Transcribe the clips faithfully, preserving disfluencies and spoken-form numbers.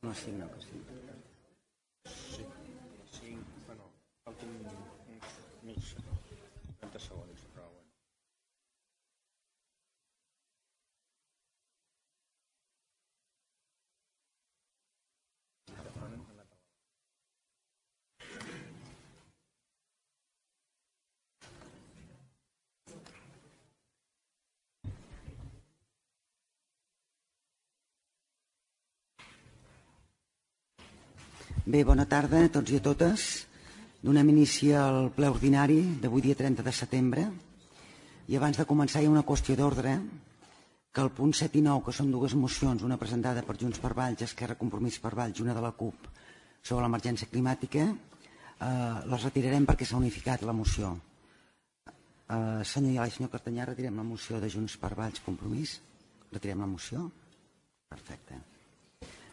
No, sí, no, que sí. Sí, sí, bueno, falten uns trenta segons, però bueno. Bé, bona tarda a tots i a totes. Donem inici al ple ordinari d'avui dia trenta de setembre i abans de començar hi ha una qüestió d'ordre que el punt set i nou, que són dues mocions, una presentada per Junts per Valls, Esquerra Compromís per Valls i una de la CUP sobre l'emergència climàtica, eh, les retirarem perquè s'ha unificat la moció. Eh, senyor Iala i senyor Cartanyà, retirem la moció de Junts per Valls Compromís? Retirem la moció? Perfecte.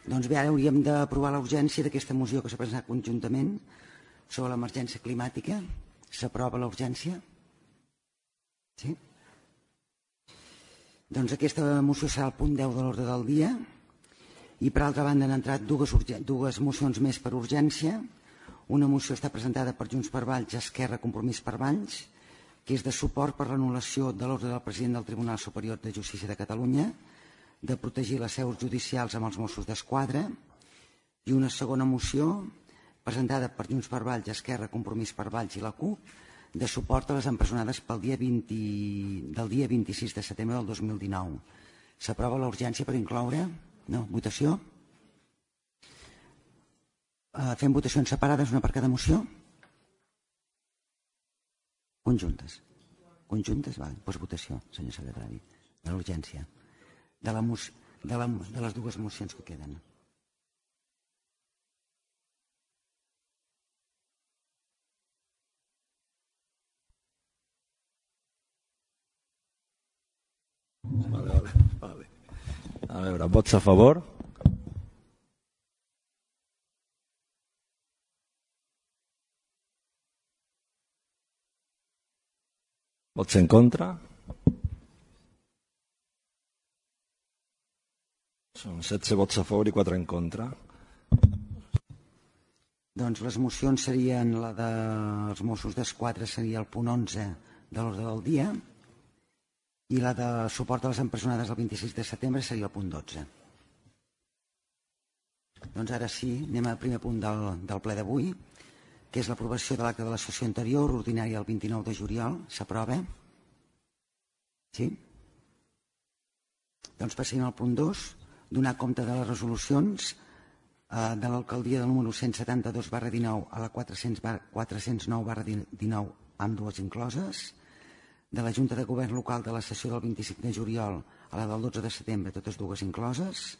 Doncs bé, ara hauríem d'aprovar la urgència d'aquesta moció que s'ha presentat conjuntament sobre l'emergència climàtica. S'aprova la urgència? Sí? Doncs aquesta moció serà el punt deu de l'ordre del dia i per altra banda han entrat dues, dues mocions més per urgència. Una moció està presentada per Junts per Valls, Esquerra Compromís per Valls, que és de suport per l'anul·lació de l'ordre del president del Tribunal Superior de Justícia de Catalunya de protegir les seus judicials amb els Mossos d'Esquadra, i una segona moció presentada per Junts per Valls, Esquerra, Compromís per Valls i la CUP de suport a les empresonades pel dia vint, del dia vint-i-sis de setembre del dos mil dinou. S'aprova la urgència per incloure? No? Votació? Uh, fem votacions separades, una per cada moció? Conjuntes. Conjuntes? Vale. Doncs votació, senyor secretari, de l'urgència. De, la, de, la, de les dues mocions que queden. Vale, vale, vale. A veure, vots a favor? Vots en contra? Són setze vots a favor i quatre en contra. Doncs les mocions serien la dels Mossos d'Esquadra seria el punt onze de l'ordre del dia i la de suport a les empresonades el vint-i-sis de setembre seria el punt dotze. Doncs ara sí, anem al primer punt del, del ple d'avui, que és l'aprovació de l'acte de la sessió anterior, ordinària el vint-i-nou de juliol. S'aprova? Sí? Doncs passem al punt dos, donar compte de les resolucions eh, de l'alcaldia del número cent setanta-dos barra dinou a la quatre-cents nou barra dinou amb dues incloses, de la Junta de Govern Local de la sessió del vint-i-cinc de juliol a la del dotze de setembre, totes dues incloses,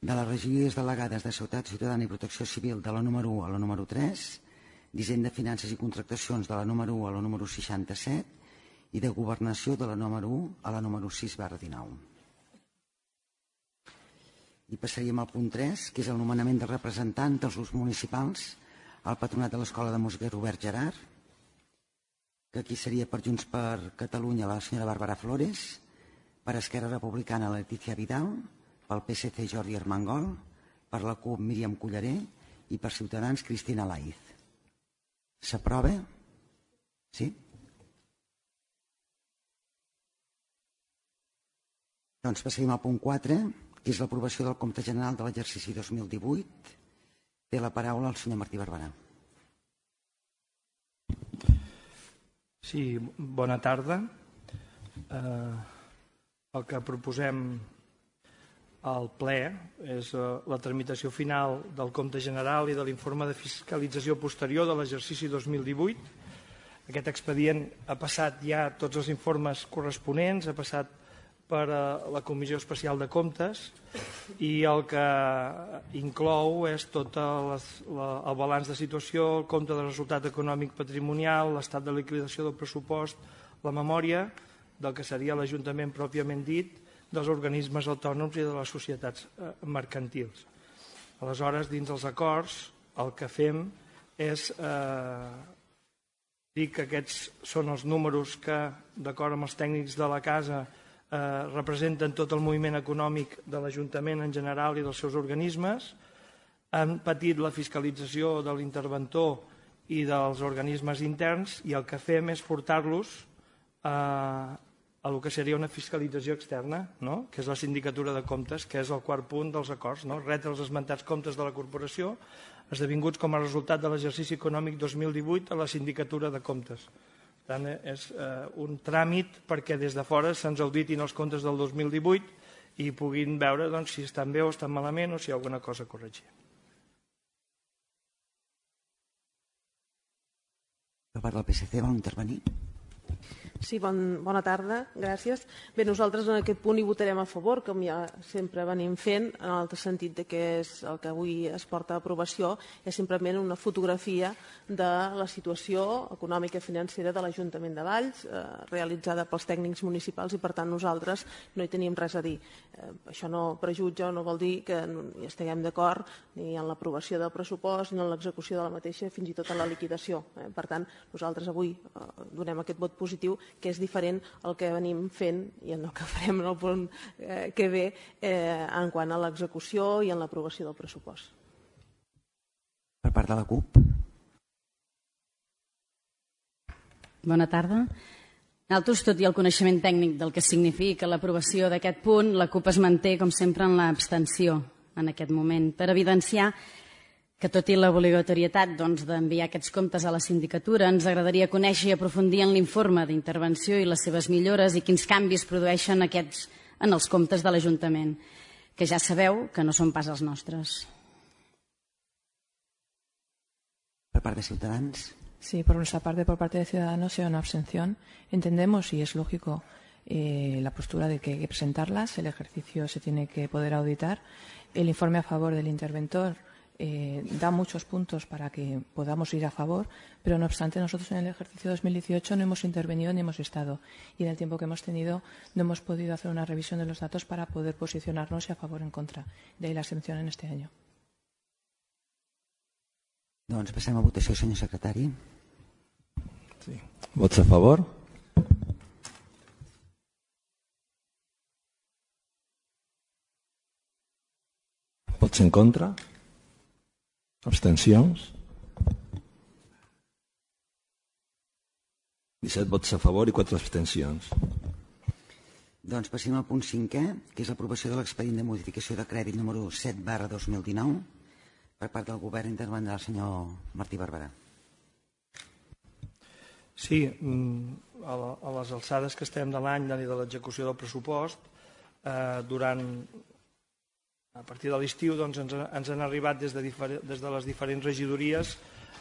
de les regidories delegades de Seguretat Ciutadana i Protecció Civil de la número u a la número tres, d'Hisenda, Finances i Contractacions de la número u a la número seixanta-set i de Governació de la número u a la número sis barra dinou. I passaríem al punt tres, que és el nomenament del representant dels grups municipals al Patronat de l'Escola de Música Robert Gerard, que aquí seria per Junts per Catalunya la senyora Bàrbara Flores, per Esquerra Republicana la Letícia Vidal, pel P S C Jordi Armengol, per la CUP Míriam Culleré i per Ciutadans Cristina Laiz. S'aprova? Sí? Doncs passaríem al punt quatre, que és l'aprovació del compte general de l'exercici dos mil divuit. Té la paraula el senyor Martí Barberà. Sí, bona tarda. Eh, el que proposem al ple és eh, la tramitació final del compte general i de l'informe de fiscalització posterior de l'exercici dos mil divuit. Aquest expedient ha passat ja tots els informes corresponents, ha passat per la Comissió Especial de Comptes i el que inclou és tot les, la, el balanç de situació, el compte de resultat econòmic patrimonial, l'estat de liquidació del pressupost, la memòria del que seria l'Ajuntament pròpiament dit, dels organismes autònoms i de les societats mercantils. Aleshores, dins els acords, el que fem és eh, dir que aquests són els números que, d'acord amb els tècnics de la casa, Eh, representen tot el moviment econòmic de l'Ajuntament en general i dels seus organismes, han patit la fiscalització de l'interventor i dels organismes interns, i el que fem és portar-los a, a el que seria una fiscalització externa, no? Que és la sindicatura de comptes, que és el quart punt dels acords, no? Retre els esmentats comptes de la corporació esdevinguts com a resultat de l'exercici econòmic dos mil divuit a la sindicatura de comptes. Per tant, és eh, un tràmit perquè des de fora se'ns auditin els comptes del dos mil divuit i puguin veure doncs, si estan bé o estan malament o si hi ha alguna cosa a corregir. Per part del P S C vol intervenir? Sí, bon, bona tarda, gràcies. Bé, nosaltres en aquest punt hi votarem a favor, com ja sempre venim fent, en el sentit de que és el que avui es porta a aprovació és simplement una fotografia de la situació econòmica i financera de l'Ajuntament de Valls, eh, realitzada pels tècnics municipals, i per tant nosaltres no hi tenim res a dir. Eh, això no prejutja o no vol dir que no hi estiguem d'acord ni en l'aprovació del pressupost ni en l'execució de la mateixa, fins i tot en la liquidació. Eh? Per tant, nosaltres avui eh, donem aquest vot positiu, que és diferent al que venim fent i el que farem en el punt eh, que ve eh, en quant a l'execució i en l'aprovació del pressupost. Per part de la CUP. Bona tarda. Nosaltres, tot i el coneixement tècnic del que significa l'aprovació d'aquest punt, la CUP es manté, com sempre, en l'abstenció en aquest moment, per evidenciar que tot i l'obligatorietat doncs, d'enviar aquests comptes a la sindicatura, ens agradaria conèixer i aprofundir en l'informe d'intervenció i les seves millores i quins canvis produeixen aquests en els comptes de l'Ajuntament, que ja sabeu que no són pas els nostres. Per part de Ciutadans. Sí, por nuestra parte, por parte de Ciudadanos, sea una abstención. Entendemos, y es lógico, eh, la postura de que hay que presentarlas, el ejercicio se tiene que poder auditar. El informe a favor del interventor Eh, da muchos puntos para que podamos ir a favor, pero no obstante nosotros en el ejercicio dos mil dieciocho no hemos intervenido ni hemos estado, y en el tiempo que hemos tenido no hemos podido hacer una revisión de los datos para poder posicionarnos a favor o en contra. De ahí la abstención en este año. Doncs passem a votació, senyor secretari. Sí. Vots a favor? Vots en contra? Abstencions? disset vots a favor i quatre abstencions. Doncs passem al punt cinquè, que és l'aprovació de l'expedient de modificació de crèdit número set barra dos mil dinou. Per part del govern intervendrà el senyor Martí Barberà. Sí, a les alçades que estem de l'any i de l'execució del pressupost, durant... A partir de l'estiu doncs, ens, ens han arribat des de, des de les diferents regidories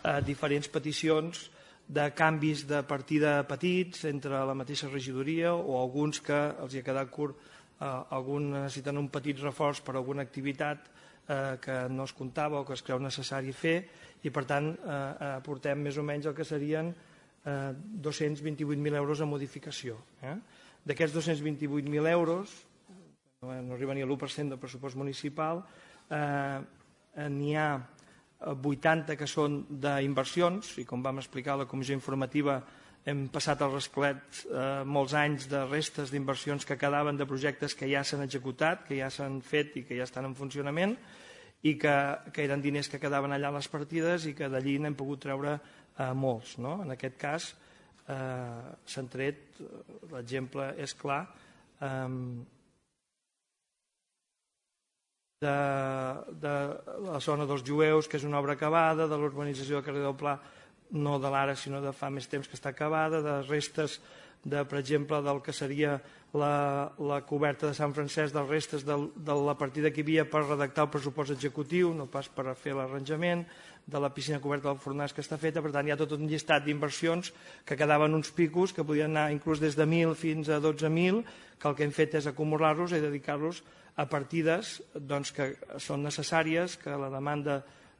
eh, diferents peticions de canvis de partida petits entre la mateixa regidoria o alguns que els hi ha quedat curt, eh, alguns necessiten un petit reforç per a alguna activitat eh, que no es comptava o que es creu necessari fer, i per tant eh, aportem més o menys el que serien eh, dos-cents vint-i-vuit mil euros a modificació. Eh? D'aquests dos-cents vint-i-vuit mil euros, no arriba ni a l'u per cent del pressupost municipal, eh, n'hi ha vuitanta que són d'inversions, i com vam explicar a la comissió informativa hem passat al rasclet eh, molts anys de restes d'inversions que quedaven de projectes que ja s'han executat, que ja s'han fet i que ja estan en funcionament, i que, que eren diners que quedaven allà a les partides i que d'allí n'hem pogut treure eh, molts. No? En aquest cas eh, s'han tret, l'exemple és clar, eh, De, de la zona dels jueus, que és una obra acabada, de l'urbanització del carrer del Pla, no de l'ara, sinó de fa més temps que està acabada, de restes, de, per exemple, del que seria la, la coberta de Sant Francesc, dels restes de, de la partida que hi havia per redactar el pressupost executiu, no pas per fer l'arranjament, de la piscina coberta del Fornàs que està feta. Per tant, hi ha tot un llistat d'inversions que quedaven uns picos, que podien anar inclús des de mil fins a dotze mil, que el que hem fet és acumular-los i dedicar-los a partides doncs, que són necessàries, que la demanda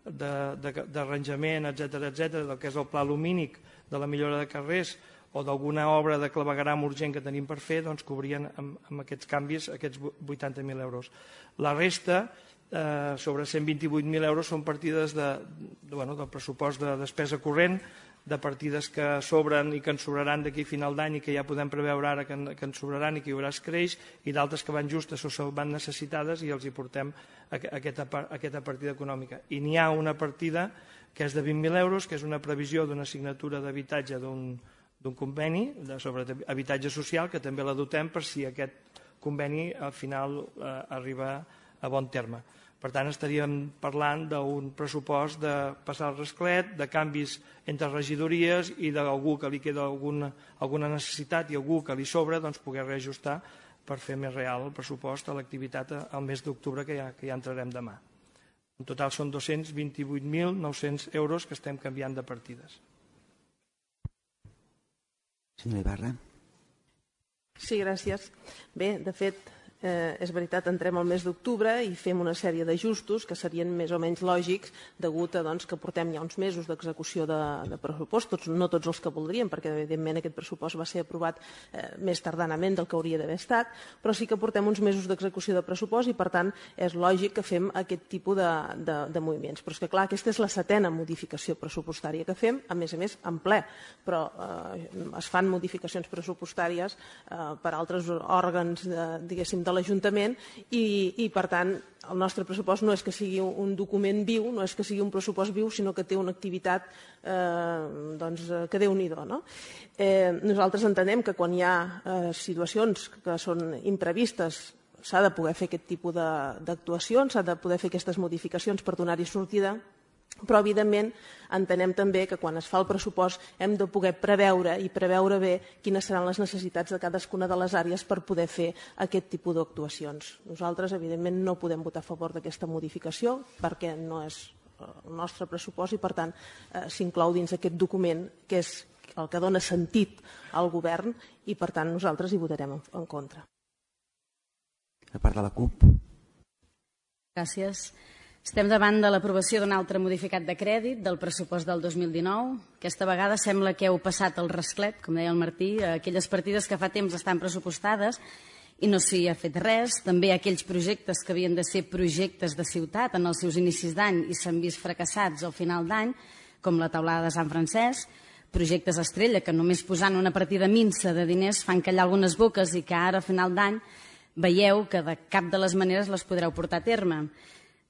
d'arranjament, etcètera, etcètera, del que és el pla lumínic, de la millora de carrers o d'alguna obra de clavegueram urgent que tenim per fer, doncs cobrien amb, amb aquests canvis aquests vuitanta mil euros. La resta, eh, sobre cent vint-i-vuit mil euros, són partides de, de, bueno, del pressupost de despesa corrent, de partides que sobren i que ens sobraran d'aquí a final d'any i que ja podem preveure ara que, que ens sobraran i que hi haurà escreix, i d'altres que van justes o van necessitades i els hi portem aquesta, aquesta partida econòmica. I n'hi ha una partida que és de vint mil euros, que és una previsió d'una assignatura d'habitatge d'un d'un conveni sobre habitatge social, que també la dotem per si aquest conveni al final eh, arriba a bon terme. Per tant, estaríem parlant d'un pressupost de passar el rasclet, de canvis entre regidories i d'algú que li queda alguna, alguna necessitat i algú que li sobra, doncs poder reajustar per fer més real el pressupost a l'activitat al mes d'octubre que, ja, que ja entrarem demà. En total són dos-cents vint-i-vuit mil nou-cents euros que estem canviant de partides. Senyora Ibarra. Sí, gràcies. Bé, de fet, eh, és veritat, entrem al mes d'octubre i fem una sèrie d'ajustos que serien més o menys lògics degut a doncs, que portem ja uns mesos d'execució de, de pressupostos, no tots els que voldríem, perquè evidentment aquest pressupost va ser aprovat eh, més tardanament del que hauria d'haver estat, però sí que portem uns mesos d'execució de pressupost i per tant és lògic que fem aquest tipus de, de, de moviments. Però és que clar, aquesta és la setena modificació pressupostària que fem, a més a més en ple, però eh, es fan modificacions pressupostàries eh, per altres òrgans, eh, diguéssim, de l'Ajuntament i, i per tant el nostre pressupost no és que sigui un document viu, no és que sigui un pressupost viu, sinó que té una activitat eh, doncs, que déu-n'hi-do. No? Eh, nosaltres entenem que quan hi ha eh, situacions que són imprevistes s'ha de poder fer aquest tipus d'actuacions, s'ha de poder fer aquestes modificacions per donar-hi sortida, però evidentment entenem també que quan es fa el pressupost hem de poder preveure i preveure bé quines seran les necessitats de cadascuna de les àrees per poder fer aquest tipus d'actuacions. Nosaltres evidentment no podem votar a favor d'aquesta modificació perquè no és el nostre pressupost i per tant eh, s'inclou dins aquest document que és el que dona sentit al govern i per tant nosaltres hi votarem en, en contra. A part de la C U P. Gràcies. Estem davant de l'aprovació d'un altre modificat de crèdit del pressupost del dos mil dinou. Aquesta vegada sembla que heu passat el rasclet, com deia el Martí, aquelles partides que fa temps estan pressupostades i no s'hi ha fet res. També aquells projectes que havien de ser projectes de ciutat en els seus inicis d'any i s'han vist fracassats al final d'any, com la taulada de Sant Francesc, projectes estrella que només posant una partida minsa de diners fan callar algunes boques i que ara a final d'any veieu que de cap de les maneres les podreu portar a terme.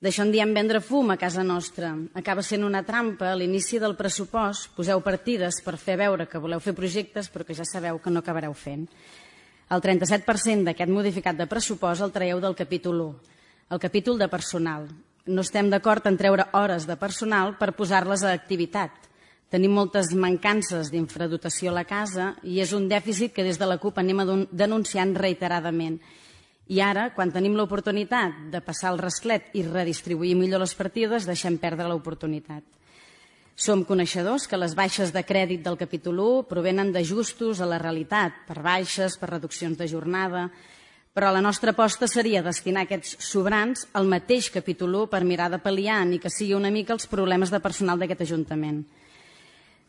D'això en diem vendre fum a casa nostra. Acaba sent una trampa a l'inici del pressupost. Poseu partides per fer veure que voleu fer projectes però que ja sabeu que no acabareu fent. El trenta-set per cent d'aquest modificat de pressupost el traieu del capítol u, el capítol de personal. No estem d'acord en treure hores de personal per posar-les a activitat. Tenim moltes mancances d'infradotació a la casa i és un dèficit que des de la C U P anem denunciant reiteradament. I ara, quan tenim l'oportunitat de passar el rasclet i redistribuir millor les partides, deixem perdre l'oportunitat. Som coneixedors que les baixes de crèdit del capítol u provenen d'ajustos a la realitat, per baixes, per reduccions de jornada, però la nostra aposta seria destinar aquests sobrants al mateix capítol u per mirar de pal·liar ni que sigui una mica els problemes de personal d'aquest Ajuntament.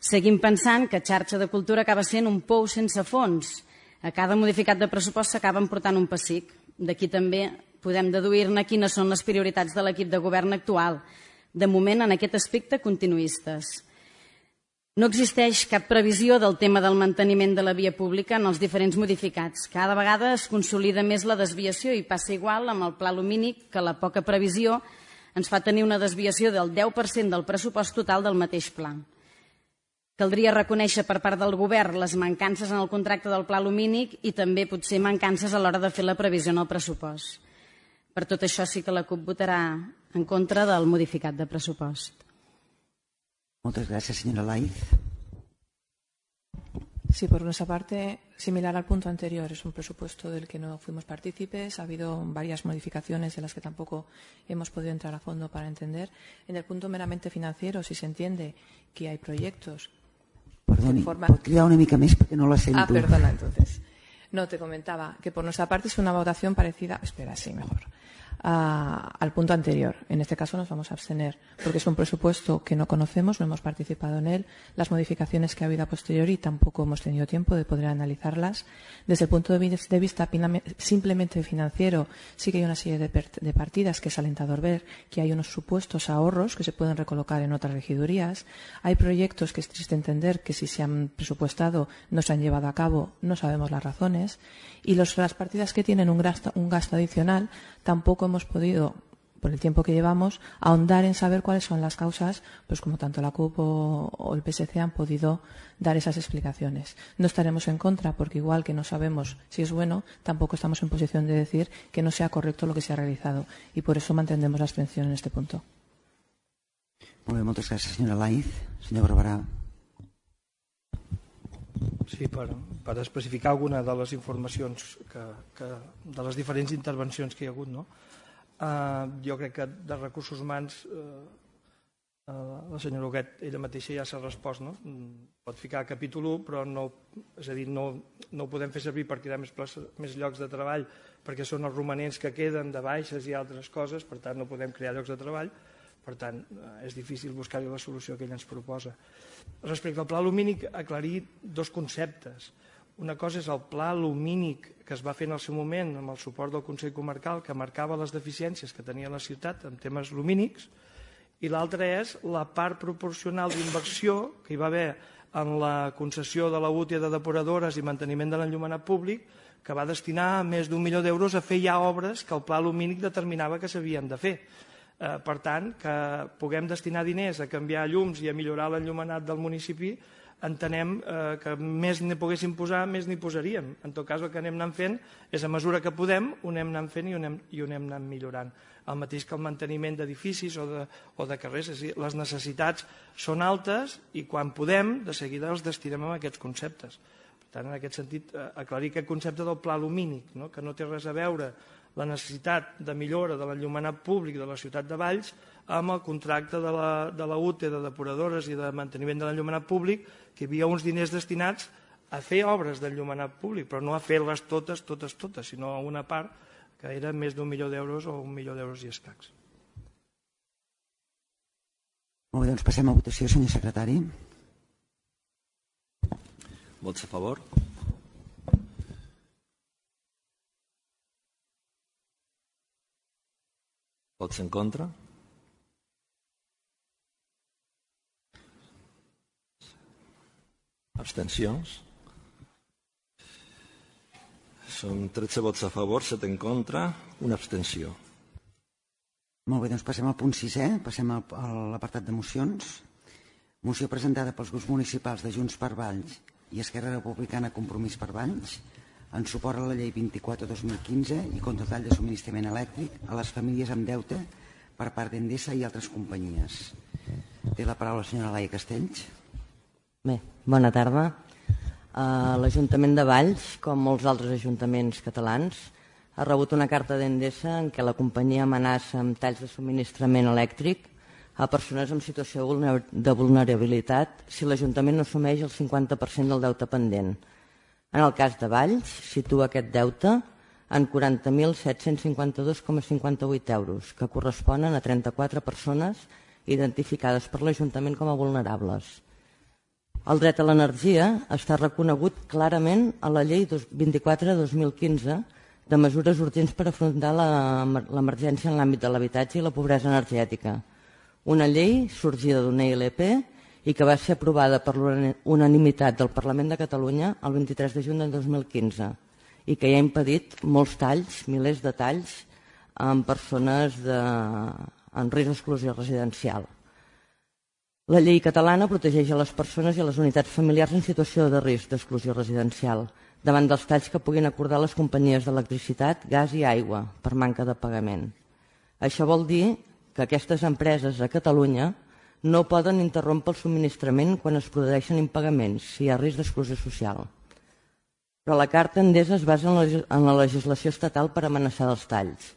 Seguim pensant que xarxa de cultura acaba sent un pou sense fons. A cada modificat de pressupost s'acaben portant un pessic. D'aquí també podem deduir-ne quines són les prioritats de l'equip de govern actual. De moment, en aquest aspecte, continuistes. No existeix cap previsió del tema del manteniment de la via pública en els diferents modificats. Cada vegada es consolida més la desviació i passa igual amb el pla lumínic que la poca previsió ens fa tenir una desviació del deu per cent del pressupost total del mateix pla. Caldria reconèixer per part del govern les mancances en el contracte del pla lumínic i també potser mancances a l'hora de fer la previsió en el pressupost. Per tot això sí que la C U P votarà en contra del modificat de pressupost. Muchas gracias, señora Laiz. Sí, por nuestra parte, similar al punto anterior, es un presupuesto del que no fuimos partícipes. Ha habido varias modificaciones de las que tampoco hemos podido entrar a fondo para entender. En el punto meramente financiero, si se entiende que hay proyectos... Perdoni, forma... pot cridar una mica més perquè no la sento. Ah, perdona, entonces. No, te comentaba que por nuestra parte es una votación parecida... Espera, sí, mejor. a, al punto anterior. En este caso nos vamos a abstener, porque es un presupuesto que no conocemos, no hemos participado en él. Las modificaciones que ha habido a posteriori tampoco hemos tenido tiempo de poder analizarlas. Desde el punto de vista simplemente financiero, sí que hay una serie de, de partidas que es alentador ver que hay unos supuestos ahorros que se pueden recolocar en otras regidurías. Hay proyectos que es triste entender que si se han presupuestado no se han llevado a cabo, no sabemos las razones. Y los, las partidas que tienen un gasto, un gasto adicional tampoco hemos podido, por el tiempo que llevamos, ahondar en saber cuáles son las causas, pues como tanto la C U P o, o el P S C han podido dar esas explicaciones. No estaremos en contra porque igual que no sabemos si es bueno, tampoco estamos en posición de decir que no sea correcto lo que se ha realizado y por eso mantendremos la abstención en este punto. Molt bé, moltes gràcies, senyora Laiz. Senyor Barberà. Sí, per, per especificar alguna de les informacions que, que, de les diferents intervencions que hi ha hagut, no? Uh, jo crec que de recursos humans uh, uh, la senyora Huguet ella mateixa ja s'ha respost, no? Pot ficar capítol u, però no, és a dir, no, no ho podem fer servir per crear més, places, més llocs de treball perquè són els romanents que queden de baixes i altres coses, per tant no podem crear llocs de treball, per tant és difícil buscar-hi la solució que ell ens proposa. Respecte al pla lumínic, aclarir dos conceptes. Una cosa és el pla lumínic que es va fer en el seu moment amb el suport del Consell Comarcal que marcava les deficiències que tenia la ciutat en temes lumínics i l'altra és la part proporcional d'inversió que hi va haver en la concessió de la U T I A de depuradores i manteniment de l'enllumenat públic que va destinar més d'un milió d'euros a fer ja obres que el pla lumínic determinava que s'havien de fer. Eh, per tant, que puguem destinar diners a canviar llums i a millorar l'enllumenat del municipi, entenem eh, que més n'hi poguéssim posar, més n'hi posaríem. En tot cas, el que anem anant fent és a mesura que podem, ho anem anant fent i ho anem, i ho anem anant millorant. El mateix que el manteniment d'edificis o, de, o de carrers. És a dir, les necessitats són altes i quan podem, de seguida els destinem a aquests conceptes. Per tant, en aquest sentit, eh, aclarir aquest concepte del pla lumínic, no? Que no té res a veure la necessitat de millora de l'enllumenat públic de la ciutat de Valls amb el contracte de la, de la U T E, de depuradores i de manteniment de l'enllumenat públic, que hi havia uns diners destinats a fer obres d'enllumenat públic, però no a fer-les totes, totes, totes, sinó a una part que era més d'un milió d'euros o un milió d'euros i escacs. Molt bé, doncs passem a votació, senyor secretari. Vots a favor? Vots en contra? Abstencions? Són tretze vots a favor, set en contra, una abstenció. Molt bé, doncs passem al punt sisè, passem a l'apartat de mocions. Moció presentada pels grups municipals de Junts per Valls i Esquerra Republicana Compromís per Valls en suport a la llei vint-i-quatre dos mil quinze i contra el tall de subministrament elèctric a les famílies amb deute per part d'Endesa i altres companyies. Té la paraula la senyora Laia Castells. Bé, bona tarda. Uh, L'Ajuntament de Valls, com molts altres ajuntaments catalans, ha rebut una carta d'Endesa en què la companyia amenaça amb talls de subministrament elèctric a persones en situació de vulnerabilitat si l'Ajuntament no assumeix el cinquanta per cent del deute pendent. En el cas de Valls, situa aquest deute en quaranta mil set-cents cinquanta-dos coma cinquanta-vuit euros, que corresponen a trenta-quatre persones identificades per l'Ajuntament com a vulnerables. El dret a l'energia està reconegut clarament a la llei vint-i-quatre dos mil quinze de mesures urgents per afrontar l'emergència en l'àmbit de l'habitatge i la pobresa energètica. Una llei sorgida d'una I L P i que va ser aprovada per l'unanimitat del Parlament de Catalunya el vint-i-tres de juny del dos mil quinze i que ja ha impedit molts talls, milers de talls, amb persones de, en risc d'exclusió residencial. La llei catalana protegeix a les persones i a les unitats familiars en situació de risc d'exclusió residencial davant dels talls que puguin acordar les companyies d'electricitat, gas i aigua per manca de pagament. Això vol dir que aquestes empreses a Catalunya no poden interrompre el subministrament quan es produeixen impagaments si hi ha risc d'exclusió social. Però la carta Endesa es basa en la legislació estatal per amenaçar dels talls,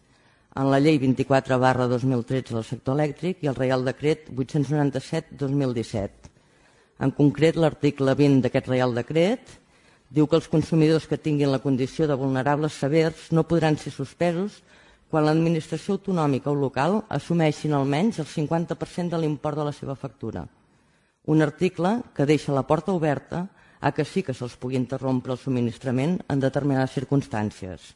en la llei vint-i-quatre barra dos mil tretze del sector elèctric i el Reial Decret vuit-cents noranta-set dos mil disset. En concret, l'article vint d'aquest Reial Decret diu que els consumidors que tinguin la condició de vulnerables severs no podran ser suspesos quan l'administració autonòmica o local assumeixin almenys el cinquanta per cent de l'import de la seva factura. Un article que deixa la porta oberta a que sí que se'ls pugui interrompre el subministrament en determinades circumstàncies.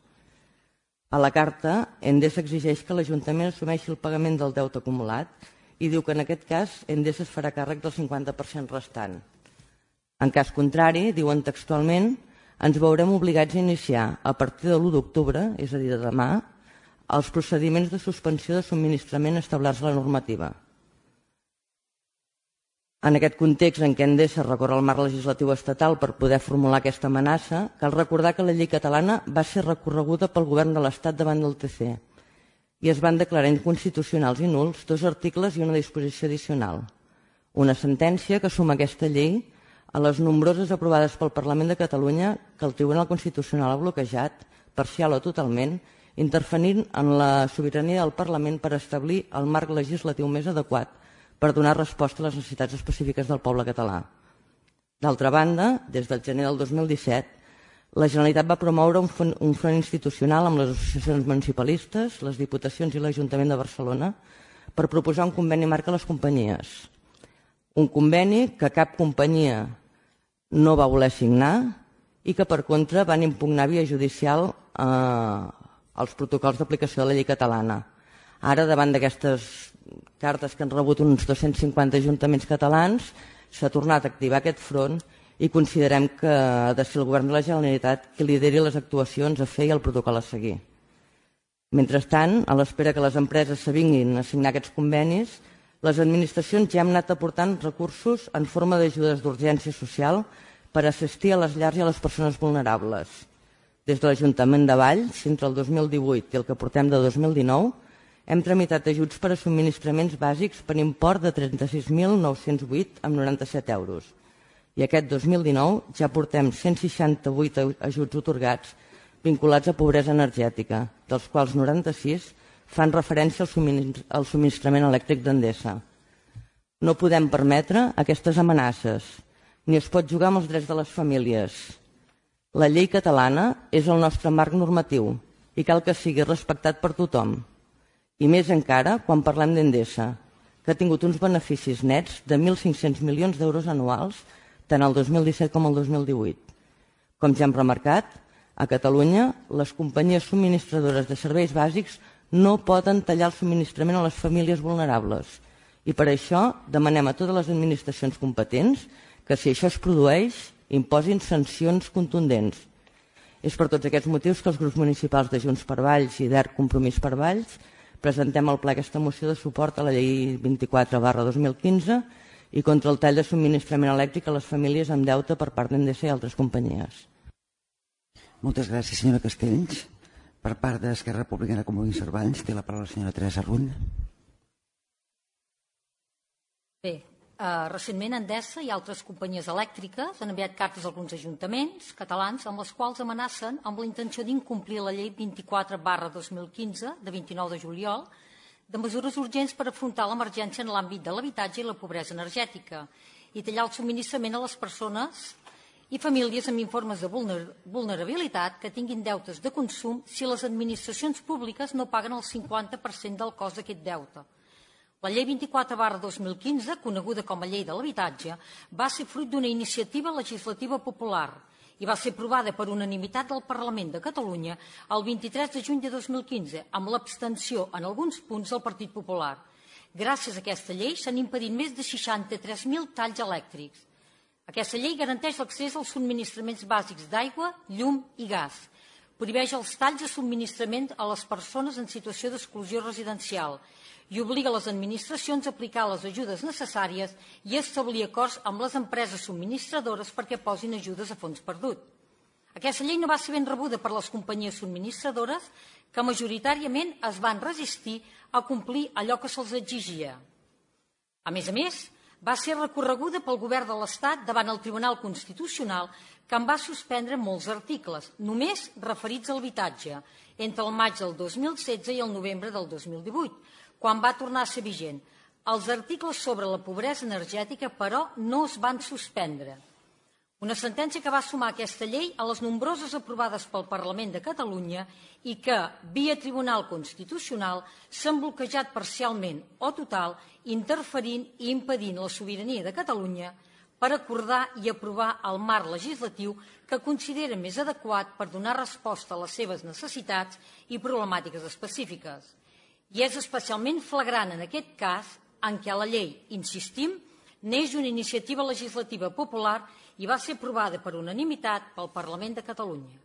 A la carta, Endesa exigeix que l'Ajuntament assumeixi el pagament del deute acumulat i diu que en aquest cas Endesa es farà càrrec del cinquanta per cent restant. En cas contrari, diuen textualment, ens veurem obligats a iniciar a partir de l'u d'octubre, és a dir, de demà, els procediments de suspensió de subministrament establerts a la normativa. En aquest context en què Endesa recorre al marc legislatiu estatal per poder formular aquesta amenaça, cal recordar que la llei catalana va ser recorreguda pel govern de l'Estat davant del T C i es van declarar inconstitucionals i nuls dos articles i una disposició addicional. Una sentència que suma aquesta llei a les nombroses aprovades pel Parlament de Catalunya que el Tribunal Constitucional ha bloquejat, parcial o totalment, intervenint en la sobirania del Parlament per establir el marc legislatiu més adequat per donar resposta a les necessitats específiques del poble català. D'altra banda, des del gener del dos mil disset, la Generalitat va promoure un front, un front institucional amb les associacions municipalistes, les Diputacions i l'Ajuntament de Barcelona per proposar un conveni marc a les companyies. Un conveni que cap companyia no va voler signar i que, per contra, van impugnar via judicial eh, els protocols d'aplicació de la llei catalana. Ara, davant d'aquestes cartes que han rebut uns dos-cents cinquanta ajuntaments catalans, s'ha tornat a activar aquest front i considerem que ha de ser el govern de la Generalitat qui lideri les actuacions a fer i el protocol a seguir. Mentrestant, a l'espera que les empreses s'avinguin a signar aquests convenis, les administracions ja han anat aportant recursos en forma d'ajudes d'urgència social per assistir a les llars i a les persones vulnerables. Des de l'Ajuntament de Valls, entre el dos mil divuit i el que portem de dos mil dinou, hem tramitat ajuts per a subministraments bàsics per import de trenta-sis mil nou-cents vuit coma noranta-set euros. I aquest dos mil dinou ja portem cent seixanta-vuit ajuts atorgats vinculats a pobresa energètica, dels quals noranta-sis fan referència al subministrament elèctric d'Endesa. No podem permetre aquestes amenaces, ni es pot jugar amb els drets de les famílies. La llei catalana és el nostre marc normatiu i cal que sigui respectat per tothom. I més encara quan parlem d'Endesa, que ha tingut uns beneficis nets de mil cinc-cents milions d'euros anuals tant el dos mil disset com el dos mil divuit. Com ja hem remarcat, a Catalunya les companyies subministradores de serveis bàsics no poden tallar el subministrament a les famílies vulnerables i per això demanem a totes les administracions competents que si això es produeix imposin sancions contundents. És per tots aquests motius que els grups municipals de Junts per Valls i d'Erc Compromís per Valls presentem al ple aquesta moció de suport a la llei vint-i-quatre barra dos mil quinze i contra el tall de subministrament elèctric a les famílies amb deute per part d'Endesa i altres companyies. Moltes gràcies, senyora Castells. Per part d'Esquerra Republicana Compromís per Valls, té la paraula la senyora Teresa Rull. Bé, eh, recentment Endesa i altres companyies elèctriques han enviat cartes a alguns ajuntaments catalans amb les quals amenacen amb la intenció d'incomplir la llei vint-i-quatre barra dos mil quinze de vint-i-nou de juliol de mesures urgents per afrontar l'emergència en l'àmbit de l'habitatge i la pobresa energètica i tallar el subministrament a les persones i famílies amb informes de vulnerabilitat que tinguin deutes de consum si les administracions públiques no paguen el cinquanta per cent del cost d'aquest deute. La llei vint-i-quatre barra dos mil quinze, coneguda com a llei de l'habitatge, va ser fruit d'una iniciativa legislativa popular i va ser aprovada per unanimitat del Parlament de Catalunya el vint-i-tres de juny de dos mil quinze, amb l'abstenció en alguns punts del Partit Popular. Gràcies a aquesta llei s'han impedit més de seixanta-tres mil talls elèctrics. Aquesta llei garanteix l'accés als subministraments bàsics d'aigua, llum i gas. Prohibeix els talls de subministrament a les persones en situació d'exclusió residencial i obliga les administracions a aplicar les ajudes necessàries i a establir acords amb les empreses subministradores perquè posin ajudes a fons perdut. Aquesta llei no va ser ben rebuda per les companyies subministradores que majoritàriament es van resistir a complir allò que se'ls exigia. A més a més, va ser recorreguda pel govern de l'Estat davant el Tribunal Constitucional que en va suspendre molts articles, només referits a l'habitatge, entre el maig del dos mil setze i el novembre del dos mil divuit, quan va tornar a ser vigent. Els articles sobre la pobresa energètica, però, no es van suspendre. Una sentència que va sumar aquesta llei a les nombroses aprovades pel Parlament de Catalunya i que, via Tribunal Constitucional, s'han bloquejat parcialment o total, interferint i impedint la sobirania de Catalunya per acordar i aprovar el marc legislatiu que considera més adequat per donar resposta a les seves necessitats i problemàtiques específiques. I és especialment flagrant en aquest cas en què la llei, insistim, neix d'una iniciativa legislativa popular i va ser aprovada per unanimitat pel Parlament de Catalunya.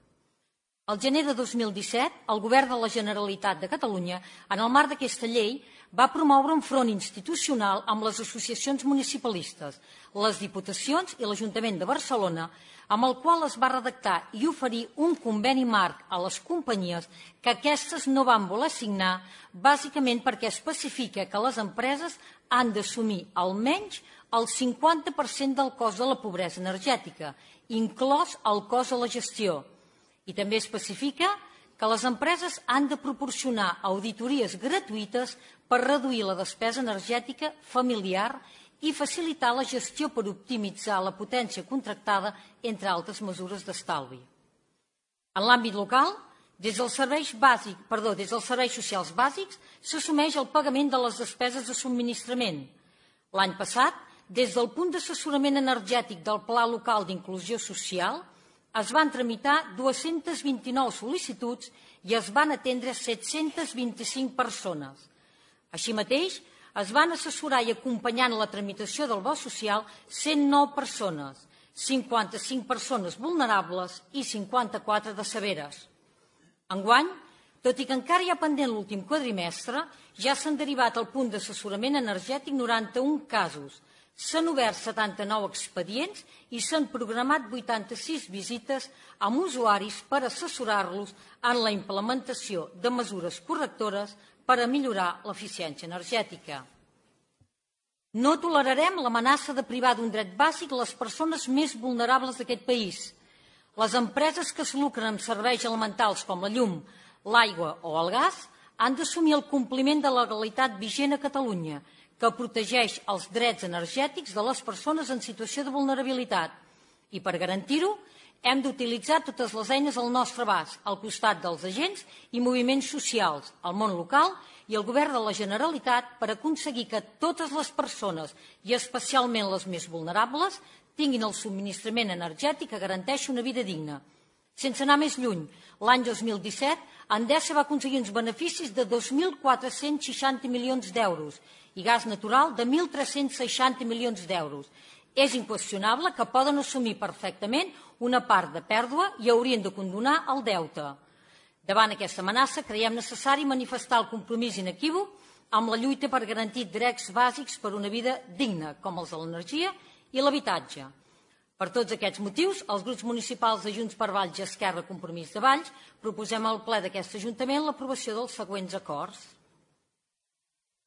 Al gener de dos mil disset, el Govern de la Generalitat de Catalunya, en el marc d'aquesta llei, va promoure un front institucional amb les associacions municipalistes, les Diputacions i l'Ajuntament de Barcelona, amb el qual es va redactar i oferir un conveni marc a les companyies que aquestes no van voler signar, bàsicament perquè especifica que les empreses han d'assumir almenys el cinquanta per cent del cost de la pobresa energètica, inclòs el cost de la gestió. I també especifica que les empreses han de proporcionar auditories gratuïtes per reduir la despesa energètica familiar i facilitar la gestió per optimitzar la potència contractada, entre altres mesures d'estalvi. En l'àmbit local, des dels serveis bàsics, perdó, des dels serveis socials bàsics s'assumeix el pagament de les despeses de subministrament. L'any passat, des del punt d'assessorament energètic del Pla Local d'Inclusió Social, es van tramitar dues-centes vint-i-nou sol·licituds i es van atendre set-centes vint-i-cinc persones. Així mateix, es van assessorar i acompanyar en la tramitació del bo social cent nou persones, cinquanta-cinc persones vulnerables i cinquanta-quatre de severes. Enguany, tot i que encara hi ha pendent l'últim quadrimestre, ja s'han derivat al punt d'assessorament energètic noranta-un casos, s'han obert setanta-nou expedients i s'han programat vuitanta-sis visites amb usuaris per assessorar-los en la implementació de mesures correctores per a millorar l'eficiència energètica. No tolerarem l'amenaça de privar d'un dret bàsic les persones més vulnerables d'aquest país. Les empreses que es lucren amb serveis elementals com la llum, l'aigua o el gas han d'assumir el compliment de la legalitat vigent a Catalunya, que protegeix els drets energètics de les persones en situació de vulnerabilitat. I per garantir-ho, hem d'utilitzar totes les eines al nostre abast, al costat dels agents i moviments socials, el món local i el Govern de la Generalitat per aconseguir que totes les persones, i especialment les més vulnerables, tinguin el subministrament energètic que garanteixi una vida digna. Sense anar més lluny, l'any dos mil disset, Endesa va aconseguir uns beneficis de dos mil quatre-cents seixanta milions d'euros i gas natural de mil tres-cents seixanta milions d'euros. És inqüestionable que poden assumir perfectament una part de pèrdua i haurien de condonar el deute. Davant aquesta amenaça, creiem necessari manifestar el compromís inequívoc amb la lluita per garantir drets bàsics per una vida digna, com els de l'energia i l'habitatge. Per tots aquests motius, els grups municipals de Junts per Valls i Esquerra Compromís de Valls proposem al ple d'aquest Ajuntament l'aprovació dels següents acords.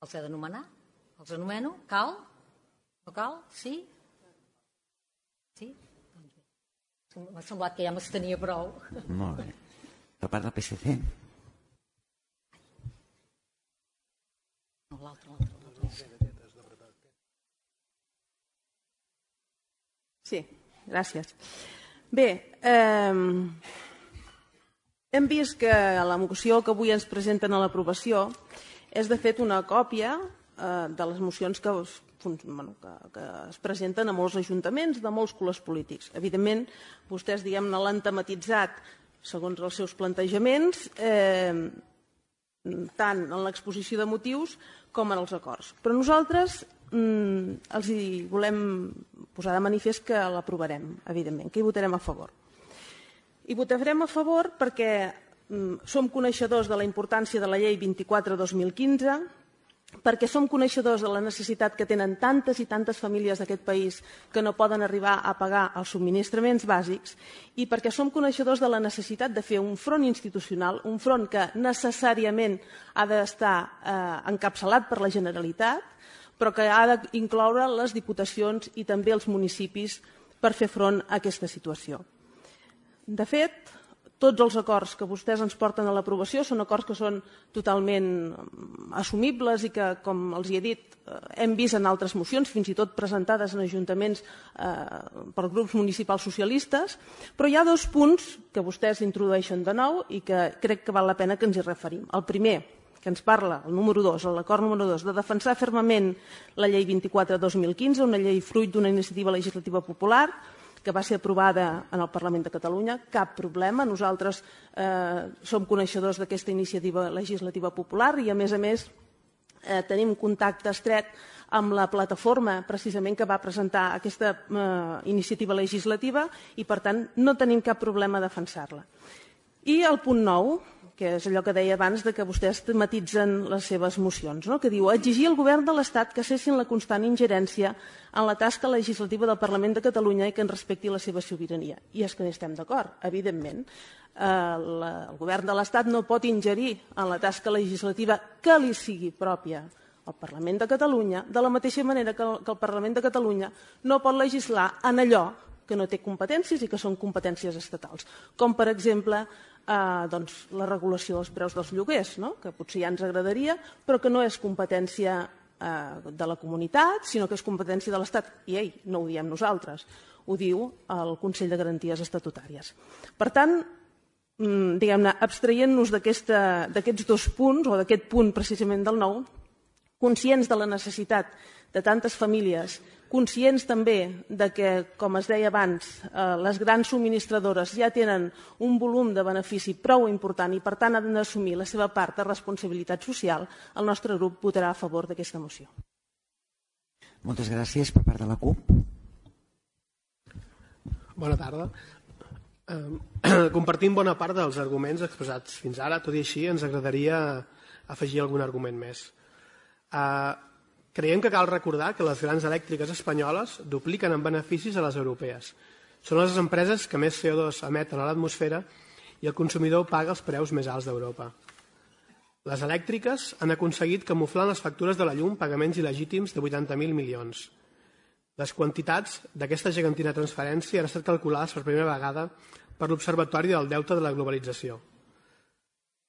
Els he d'anomenar? Els anomeno? Cal? No cal? Sí? Sí? M'ha semblat que ja m'estenia prou. Molt bé. Per part del P S C. No, l'altre, l'altre. Sí, gràcies. Bé, eh, hem vist que la moció que avui ens presenten a l'aprovació és de fet una còpia eh, de les mocions que, bueno, que, que es presenten a molts ajuntaments de molts colors polítics. Evidentment, vostès diguem-ne l'han tematitzat segons els seus plantejaments, eh, tant en l'exposició de motius com en els acords. Però nosaltres els hi volem posar de manifest que l'aprovarem, evidentment, que hi votarem a favor. Hi votarem a favor perquè som coneixedors de la importància de la llei vint-i-quatre dos mil quinze, perquè som coneixedors de la necessitat que tenen tantes i tantes famílies d'aquest país que no poden arribar a pagar els subministraments bàsics i perquè som coneixedors de la necessitat de fer un front institucional, un front que necessàriament ha d'estar eh, encapçalat per la Generalitat, però que ha d'incloure les diputacions i també els municipis per fer front a aquesta situació. De fet, tots els acords que vostès ens porten a l'aprovació són acords que són totalment assumibles i que, com els he dit, hem vist en altres mocions, fins i tot presentades en ajuntaments per grups municipals socialistes, però hi ha dos punts que vostès introdueixen de nou i que crec que val la pena que ens hi referim. El primer, que ens parla, el número dos, l'acord número dos, de defensar fermament la llei vint-i-quatre dos mil quinze, una llei fruit d'una iniciativa legislativa popular que va ser aprovada en el Parlament de Catalunya. Cap problema, nosaltres eh, som coneixedors d'aquesta iniciativa legislativa popular i, a més a més, eh, tenim contacte estret amb la plataforma precisament que va presentar aquesta eh, iniciativa legislativa i, per tant, no tenim cap problema a defensar-la. I el punt nou, que és allò que deia abans de que vostès tematitzen les seves mocions, no? Que diu exigir al govern de l'Estat que cessin la constant ingerència en la tasca legislativa del Parlament de Catalunya i que en respecti la seva sobirania. I és que hi estem d'acord, evidentment. Eh, la, el govern de l'Estat no pot ingerir en la tasca legislativa que li sigui pròpia al Parlament de Catalunya, de la mateixa manera que el, que el Parlament de Catalunya no pot legislar en allò que no té competències i que són competències estatals, com per exemple eh, doncs, la regulació dels preus dels lloguers, no? Que potser ja ens agradaria, però que no és competència eh, de la comunitat, sinó que és competència de l'Estat. I ei, no ho diem nosaltres, ho diu el Consell de Garanties Estatutàries. Per tant, diguem-ne, abstraient-nos d'aquests dos punts, o d'aquest punt precisament del nou, conscients de la necessitat de tantes famílies, conscients també de que, com es deia abans, eh, les grans subministradores ja tenen un volum de benefici prou important i, per tant, han d'assumir la seva part de responsabilitat social, el nostre grup votarà a favor d'aquesta moció. Moltes gràcies per part de la CUP. Bona tarda. Eh, compartim bona part dels arguments expressats fins ara, tot i així ens agradaria afegir algun argument més. Eh, Creiem que cal recordar que les grans elèctriques espanyoles dupliquen en beneficis a les europees. Són les empreses que més C O dos emeten a l'atmosfera i el consumidor paga els preus més alts d'Europa. Les elèctriques han aconseguit camuflar en les factures de la llum pagaments il·legítims de vuitanta mil milions. Les quantitats d'aquesta gegantina transferència han estat calculades per primera vegada per l'Observatori del Deute de la Globalització.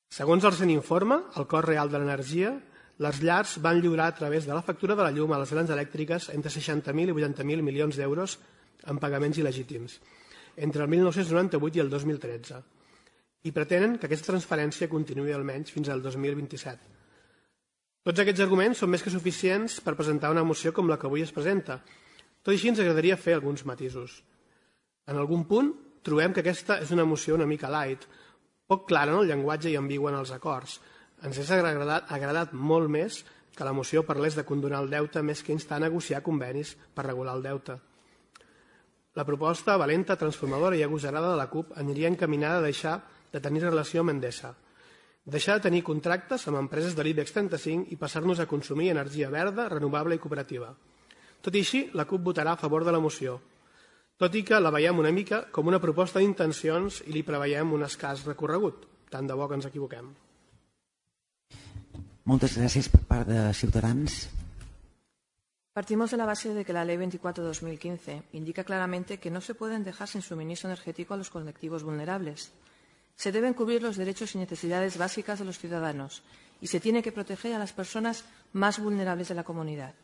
Segons el recent informe, el cost real de l'energia, les llars van lliurar a través de la factura de la llum a les grans elèctriques entre seixanta mil i vuitanta mil milions d'euros en pagaments il·legítims, entre el mil nou-cents noranta-vuit i el dos mil tretze, i pretenen que aquesta transferència continuï almenys fins al dos mil vint-i-set. Tots aquests arguments són més que suficients per presentar una moció com la que avui es presenta. Tot i així ens agradaria fer alguns matisos. En algun punt trobem que aquesta és una moció una mica light, poc clara en el llenguatge i ambigua en els acords. Ens hauria agradat, agradat molt més que la moció parlés de condonar el deute més que instar a negociar convenis per regular el deute. La proposta valenta, transformadora i agosarada de la CUP aniria encaminada a deixar de tenir relació amb Endesa, deixar de tenir contractes amb empreses de l'IBEX trenta-cinc i passar-nos a consumir energia verda, renovable i cooperativa. Tot i així, la CUP votarà a favor de la moció, tot i que la veiem una mica com una proposta d'intencions i li preveiem un escàs recorregut. Tant de bo que ens equivoquem. Moltes gràcies per part de Ciutadans. Partimos de la base de que la Ley veinticuatro barra dos mil quince indica claramente que no se pueden dejar sin suministro energético a los colectivos vulnerables. Se deben cubrir los derechos y necesidades básicas de los ciudadanos y se tiene que proteger a las personas más vulnerables de la comunidad.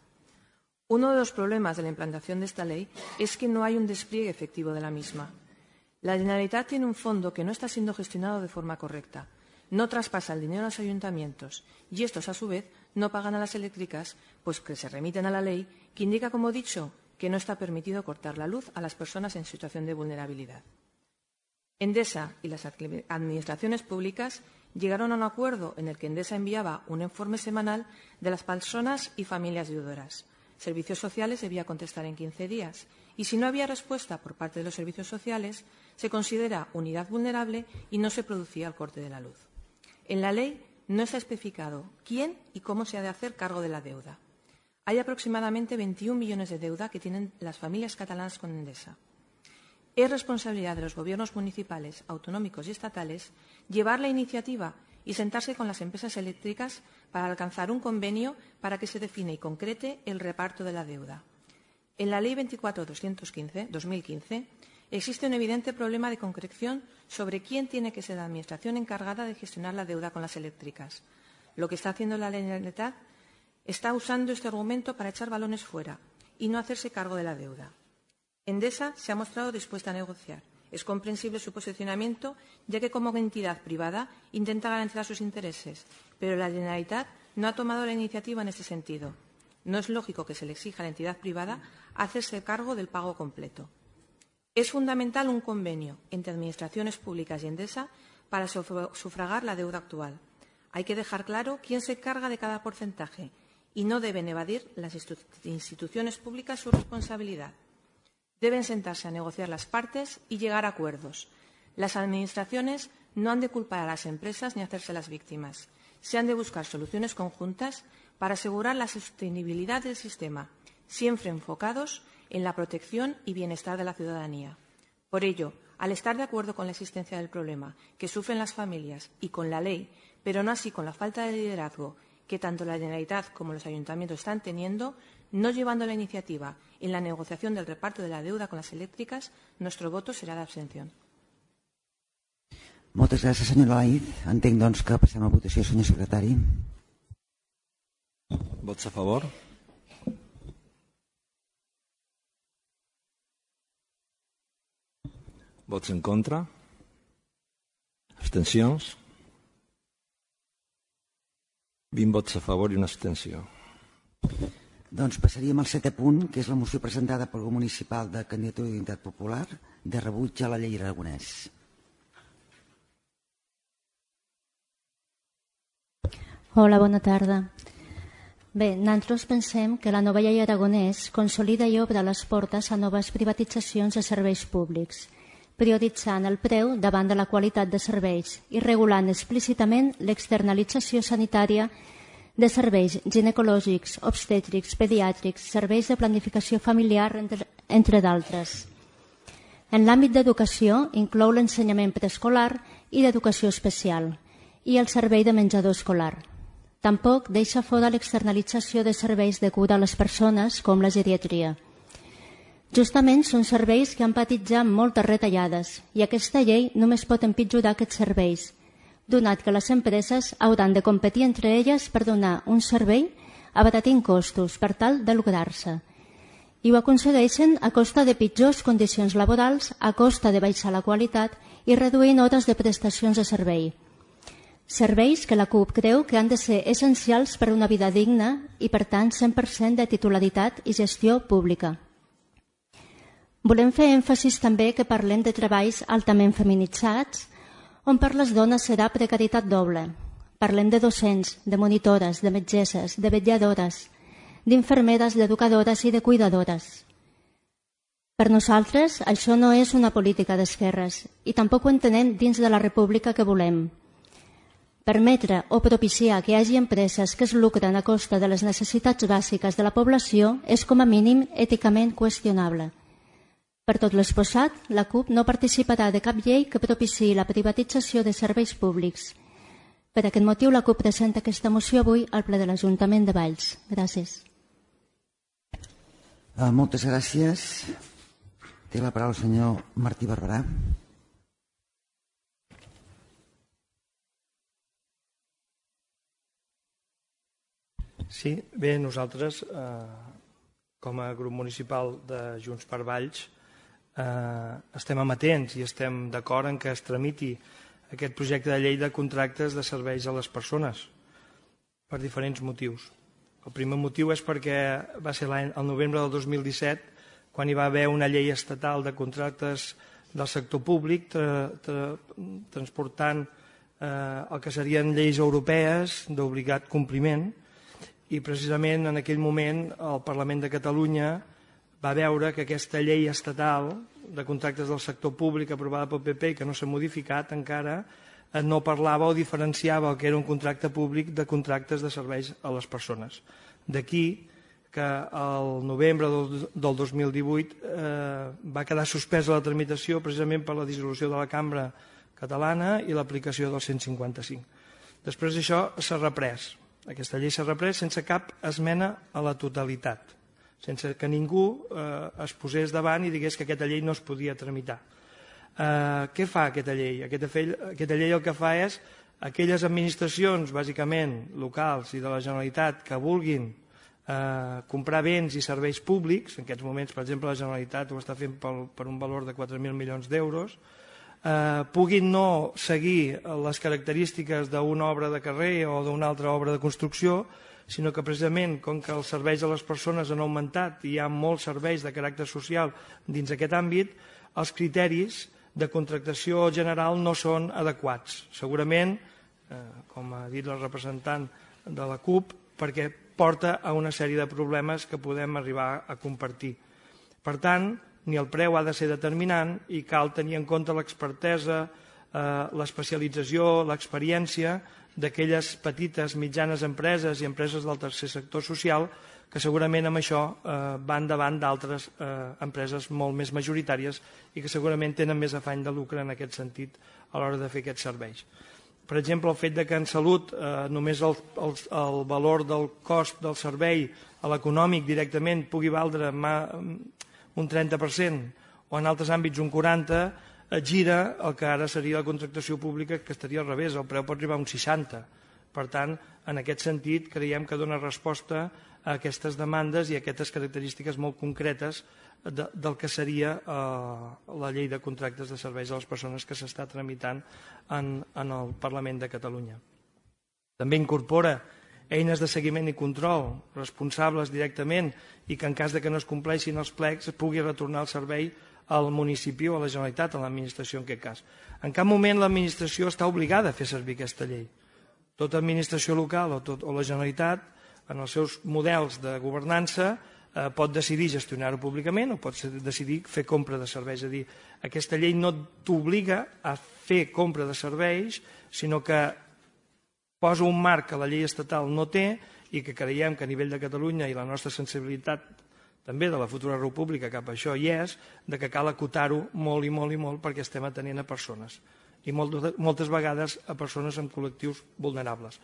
Uno de los problemas de la implantación de esta ley es que no hay un despliegue efectivo de la misma. La Generalitat tiene un fondo que no está siendo gestionado de forma correcta. No traspasa el dinero a los ayuntamientos y estos, a su vez, no pagan a las eléctricas, pues que se remiten a la ley que indica, como he dicho, que no está permitido cortar la luz a las personas en situación de vulnerabilidad. Endesa y las administraciones públicas llegaron a un acuerdo en el que Endesa enviaba un informe semanal de las personas y familias deudoras. Servicios Sociales debía contestar en quince días y, si no había respuesta por parte de los servicios sociales, se considera unidad vulnerable y no se producía el corte de la luz. En la ley no está especificado quién y cómo se ha de hacer cargo de la deuda. Hay aproximadamente veintiún millones de deuda que tienen las familias catalanas con Endesa. Es responsabilidad de los gobiernos municipales, autonómicos y estatales llevar la iniciativa y sentarse con las empresas eléctricas para alcanzar un convenio para que se define y concrete el reparto de la deuda. En la Ley veinticuatro barra dos mil quince existe un evidente problema de concreción sobre quién tiene que ser la Administración encargada de gestionar la deuda con las eléctricas. Lo que está haciendo la Generalitat está usando este argumento para echar balones fuera y no hacerse cargo de la deuda. Endesa se ha mostrado dispuesta a negociar. Es comprensible su posicionamiento, ya que como entidad privada intenta garantizar sus intereses, pero la Generalitat no ha tomado la iniciativa en este sentido. No es lógico que se le exija a la entidad privada hacerse cargo del pago completo. Es fundamental un convenio entre administraciones públicas y Endesa para sufragar la deuda actual. Hay que dejar claro quién se encarga de cada porcentaje y no deben evadir las instituciones públicas su responsabilidad. Deben sentarse a negociar las partes y llegar a acuerdos. Las administraciones no han de culpar a las empresas ni hacerse las víctimas. Se han de buscar soluciones conjuntas para asegurar la sostenibilidad del sistema, siempre enfocados en la protección y bienestar de la ciudadanía. Por ello, al estar de acuerdo con la existencia del problema que sufren las familias y con la ley, pero no así con la falta de liderazgo que tanto la Generalitat como los ayuntamientos están teniendo, no llevando la iniciativa en la negociación del reparto de la deuda con las eléctricas, nuestro voto será de abstención. Moltes gràcies, senyora Laïd. Entenc, doncs, que passem a votació, senyor secretari. Vots a favor? Vots en contra? Abstencions? vint vots a favor i una abstenció. Doncs passaríem al setè punt, que és la moció presentada pel grup municipal de Candidatura d'Unitat Popular de rebuig a la llei Aragonès. Hola, bona tarda. Bé, nosaltres pensem que la nova llei Aragonès consolida i obre les portes a noves privatitzacions de serveis públics, prioritzant el preu davant de la qualitat de serveis i regulant explícitament l'externalització sanitària de serveis ginecològics, obstètrics, pediàtrics, serveis de planificació familiar, entre, entre d'altres. En l'àmbit d'educació inclou l'ensenyament preescolar i d'educació especial i el servei de menjador escolar. Tampoc deixa fora l'externalització de serveis de cura a les persones, com la geriatria. Justament són serveis que han patit ja moltes retallades i aquesta llei només pot empitjorar aquests serveis, donat que les empreses hauran de competir entre elles per donar un servei abaratint costos per tal de lograr-se. I ho aconsegueixen a costa de pitjors condicions laborals, a costa de baixar la qualitat i reduint hores de prestacions de servei. Serveis que la CUP creu que han de ser essencials per a una vida digna i, per tant, cent per cent de titularitat i gestió pública. Volem fer èmfasis també que parlem de treballs altament feminitzats, on per les dones serà precarietat doble. Parlem de docents, de monitores, de metgesses, de vetlladores, d'infermeres, d'educadores i de cuidadores. Per nosaltres, això no és una política d'esquerres i tampoc ho entenem dins de la república que volem. Permetre o propiciar que hi hagi empreses que es lucren a costa de les necessitats bàsiques de la població és com a mínim èticament qüestionable. Per tot l'exposat, la CUP no participarà de cap llei que propiciï la privatització de serveis públics. Per aquest motiu, la CUP presenta aquesta moció avui al ple de l'Ajuntament de Valls. Gràcies. Uh, moltes gràcies. Té la paraula el senyor Martí Barberà. Sí, bé, nosaltres, eh, com a grup municipal de Junts per Valls, eh, estem amatents i estem d'acord en que es tramiti aquest projecte de llei de contractes de serveis a les persones per diferents motius. El primer motiu és perquè va ser l'any, el novembre del dos mil disset, quan hi va haver una llei estatal de contractes del sector públic tra, tra, transportant eh, el que serien lleis europees d'obligat compliment, i precisament en aquell moment el Parlament de Catalunya va veure que aquesta llei estatal de contractes del sector públic aprovada pel P P i que no s'ha modificat encara no parlava o diferenciava el que era un contracte públic de contractes de serveis a les persones. D'aquí que el novembre del dos mil divuit eh, va quedar suspesa la tramitació precisament per la dissolució de la Cambra Catalana i l'aplicació del cent cinquanta cinc. Després d'això s'ha reprès. Aquesta llei s'ha reprès sense cap esmena a la totalitat. sense que ningú es posés davant i digués que aquesta llei no es podia tramitar. Què fa aquesta llei? Aquesta llei el que fa és aquelles administracions, bàsicament locals i de la Generalitat, que vulguin comprar béns i serveis públics, en aquests moments, per exemple, la Generalitat ho està fent per un valor de quatre mil milions d'euros, puguin no seguir les característiques d'una obra de carrer o d'una altra obra de construcció, sinó que precisament, com que els serveis a les persones han augmentat i hi ha molts serveis de caràcter social dins aquest àmbit, els criteris de contractació general no són adequats. Segurament, com ha dit la representant de la CUP, perquè porta a una sèrie de problemes que podem arribar a compartir. Per tant, ni el preu ha de ser determinant i cal tenir en compte l'expertesa, l'especialització, l'experiència d'aquelles petites, mitjanes empreses i empreses del tercer sector social que segurament amb això van davant d'altres empreses molt més majoritàries i que segurament tenen més afany de lucre en aquest sentit a l'hora de fer aquests serveis. Per exemple, el fet que en salut només el valor del cost del servei a l'econòmic directament pugui valdre un trenta per cent o en altres àmbits un quaranta per cent, gira el que ara seria la contractació pública, que estaria al revés, el preu pot arribar a un seixanta per cent. Per tant, en aquest sentit, creiem que dona resposta a aquestes demandes i a aquestes característiques molt concretes del que seria la llei de contractes de serveis a les persones que s'està tramitant en el Parlament de Catalunya. També incorpora eines de seguiment i control responsables directament i que en cas que no es compleixin els plecs es pugui retornar el servei al municipi o a la Generalitat, a l'administració en aquest cas. En cap moment l'administració està obligada a fer servir aquesta llei. Tota administració local o la Generalitat, en els seus models de governança, pot decidir gestionar-ho públicament o pot decidir fer compra de serveis. És a dir, aquesta llei no t'obliga a fer compra de serveis, sinó que posa un marc que la llei estatal no té i que creiem que a nivell de Catalunya i la nostra sensibilitat també de la futura república cap a això hi és, de que cal acotar-ho molt i molt i molt perquè estem atenent a persones i moltes vegades a persones amb col·lectius vulnerables.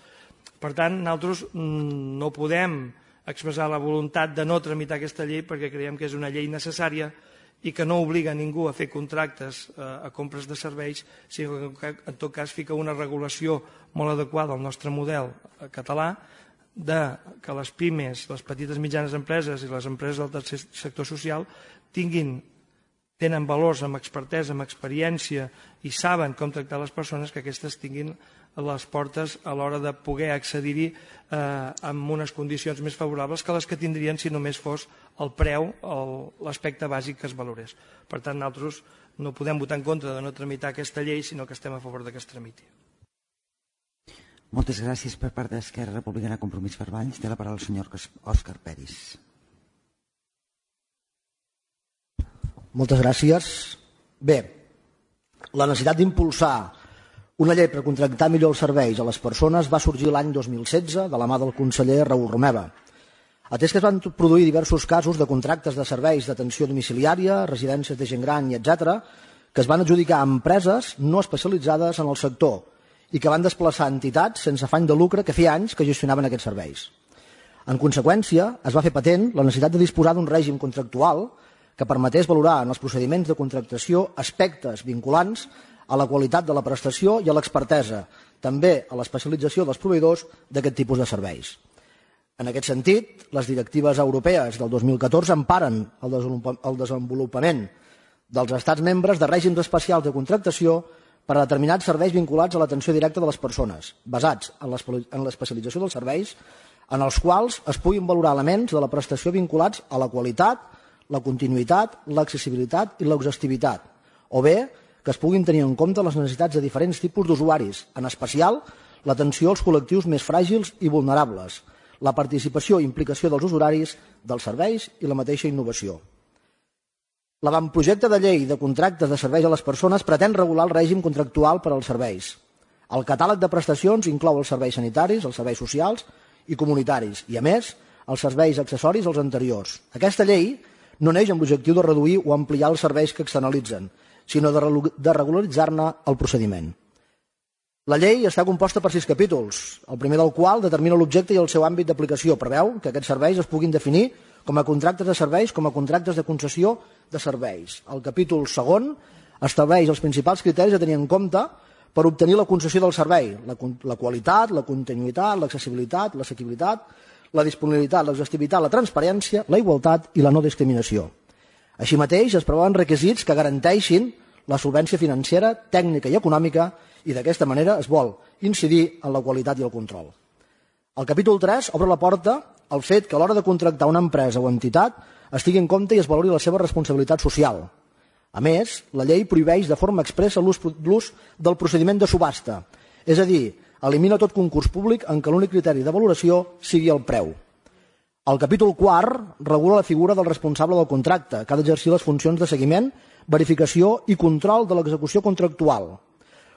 Per tant, nosaltres no podem expressar la voluntat de no tramitar aquesta llei perquè creiem que és una llei necessària i que no obliga a ningú a fer contractes a compres de serveis, sinó que en tot cas fica una regulació molt adequada al nostre model català de que les pimes, les petites i mitjanes empreses i les empreses del tercer sector social tinguin, tenen valors amb expertesa, amb experiència i saben com tractar les persones, que aquestes tinguin les portes a l'hora de poder accedir-hi amb unes condicions més favorables que les que tindrien si només fos el preu, l'aspecte bàsic que es valorés. Per tant, nosaltres no podem votar en contra de no tramitar aquesta llei, sinó que estem a favor que es tramiti. Moltes gràcies per part d'Esquerra Republicana Compromís per Valls. Té la paraula el senyor Òscar Peris. Moltes gràcies. Bé, la necessitat d'impulsar una llei per contractar millor els serveis a les persones va sorgir l'any dos mil setze de la mà del conseller Raül Romeva. Atès que es van produir diversos casos de contractes de serveis d'atenció domiciliària, residències de gent gran i etcètera, que es van adjudicar a empreses no especialitzades en el sector i que van desplaçar entitats sense afany de lucre que feia anys que gestionaven aquests serveis. En conseqüència, es va fer patent la necessitat de disposar d'un règim contractual que permetés valorar en els procediments de contractació aspectes vinculants a la qualitat de la prestació i a l'expertesa, també a l'especialització dels proveïdors d'aquest tipus de serveis. En aquest sentit, les directives europees del dos mil catorze emparen el desenvolupament dels estats membres de règims especials de contractació per a determinats serveis vinculats a l'atenció directa de les persones, basats en l'especialització dels serveis, en els quals es puguin valorar elements de la prestació vinculats a la qualitat, la continuïtat, l'accessibilitat i l'exhaustivitat, o bé que es puguin tenir en compte les necessitats de diferents tipus d'usuaris, en especial l'atenció als col·lectius més fràgils i vulnerables, la participació i implicació dels usuaris, dels serveis i la mateixa innovació. L'avantprojecte de llei de contractes de serveis a les persones pretén regular el règim contractual per als serveis. El catàleg de prestacions inclou els serveis sanitaris, els serveis socials i comunitaris i, a més, els serveis accessoris als anteriors. Aquesta llei no neix amb l'objectiu de reduir o ampliar els serveis que externalitzen, sinó de regularitzar-ne el procediment. La llei està composta per sis capítols, el primer del qual determina l'objecte i el seu àmbit d'aplicació. Preveu que aquests serveis es puguin definir com a contractes de serveis com a contractes de concessió de serveis. El capítol segon estableix els principals criteris a tenir en compte per obtenir la concessió del servei, la, la qualitat, la continuïtat, l'accessibilitat, l'assequibilitat, la disponibilitat, l'exhaustivitat, la transparència, la igualtat i la no discriminació. Així mateix, es preveuen requisits que garanteixin la solvència financera, tècnica i econòmica i d'aquesta manera es vol incidir en la qualitat i el control. El capítol tres obre la porta al fet que a l'hora de contractar una empresa o entitat es tingui en compte i es valori la seva responsabilitat social. A més, la llei prohibeix de forma expressa l'ús del procediment de subhasta, és a dir, elimina tot concurs públic en què l'únic criteri de valoració sigui el preu. El capítol quart regula la figura del responsable del contracte, que ha d'exercir les funcions de seguiment, verificació i control de l'execució contractual.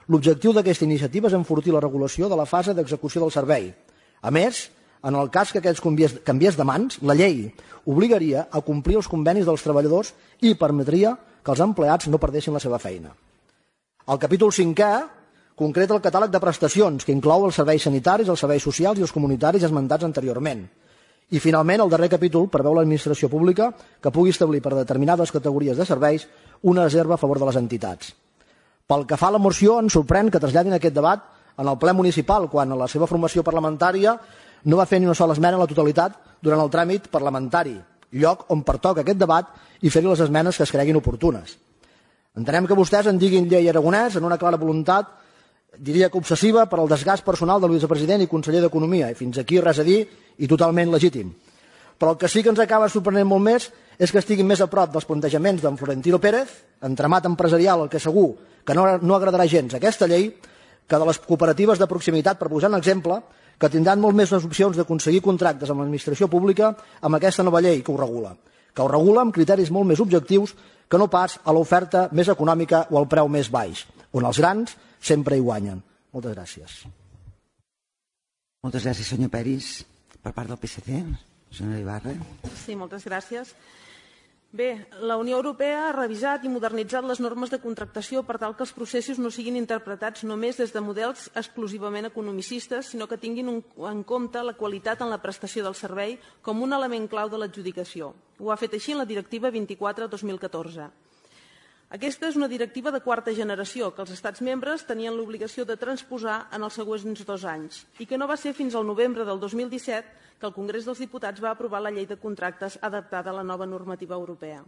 L'objectiu d'aquesta iniciativa és enfortir la regulació de la fase d'execució del servei. A més, en el cas que aquests canviés de mans, la llei obligaria a complir els convenis dels treballadors i permetria que els empleats no perdessin la seva feina. El capítol cinquè concreta el catàleg de prestacions, que inclou els serveis sanitaris, els serveis socials i els comunitaris esmentats anteriorment. I, finalment, el darrer capítol preveu l'administració pública que pugui establir per determinades categories de serveis una reserva a favor de les entitats. Pel que fa a la moció, ens sorprèn que traslladin aquest debat en el ple municipal, quan a la seva formació parlamentària no va fer ni una sola esmena a la totalitat durant el tràmit parlamentari, lloc on pertoca aquest debat i fer-hi les esmenes que es creguin oportunes. Entenem que vostès en diguin llei aragonès en una clara voluntat, diria que obsessiva, per al desgast personal del vicepresident i conseller d'Economia, i fins aquí res a dir i totalment legítim. Però el que sí que ens acaba sorprenent molt més és que estiguin més a prop dels plantejaments d'en Florentino Pérez, entramat empresarial el que segur que no, no agradarà gens aquesta llei, que de les cooperatives de proximitat, per posar un exemple, que tindran molt més les opcions d'aconseguir contractes amb l'administració pública amb aquesta nova llei que ho regula, que ho regula amb criteris molt més objectius que no pas a l'oferta més econòmica o al preu més baix, on els grans sempre hi guanyen. Moltes gràcies. Moltes gràcies, senyor Peris. Per part del P S C, senyora Ibarra. Sí, moltes gràcies. Bé, la Unió Europea ha revisat i modernitzat les normes de contractació per tal que els processos no siguin interpretats només des de models exclusivament economicistes, sinó que tinguin en compte la qualitat en la prestació del servei com un element clau de l'adjudicació. Ho ha fet així en la Directiva vint-i-quatre dos mil catorze. Aquesta és una directiva de quarta generació que els estats membres tenien l'obligació de transposar en els següents dos anys i que no va ser fins al novembre del dos mil disset que el Congrés dels Diputats va aprovar la llei de contractes adaptada a la nova normativa europea.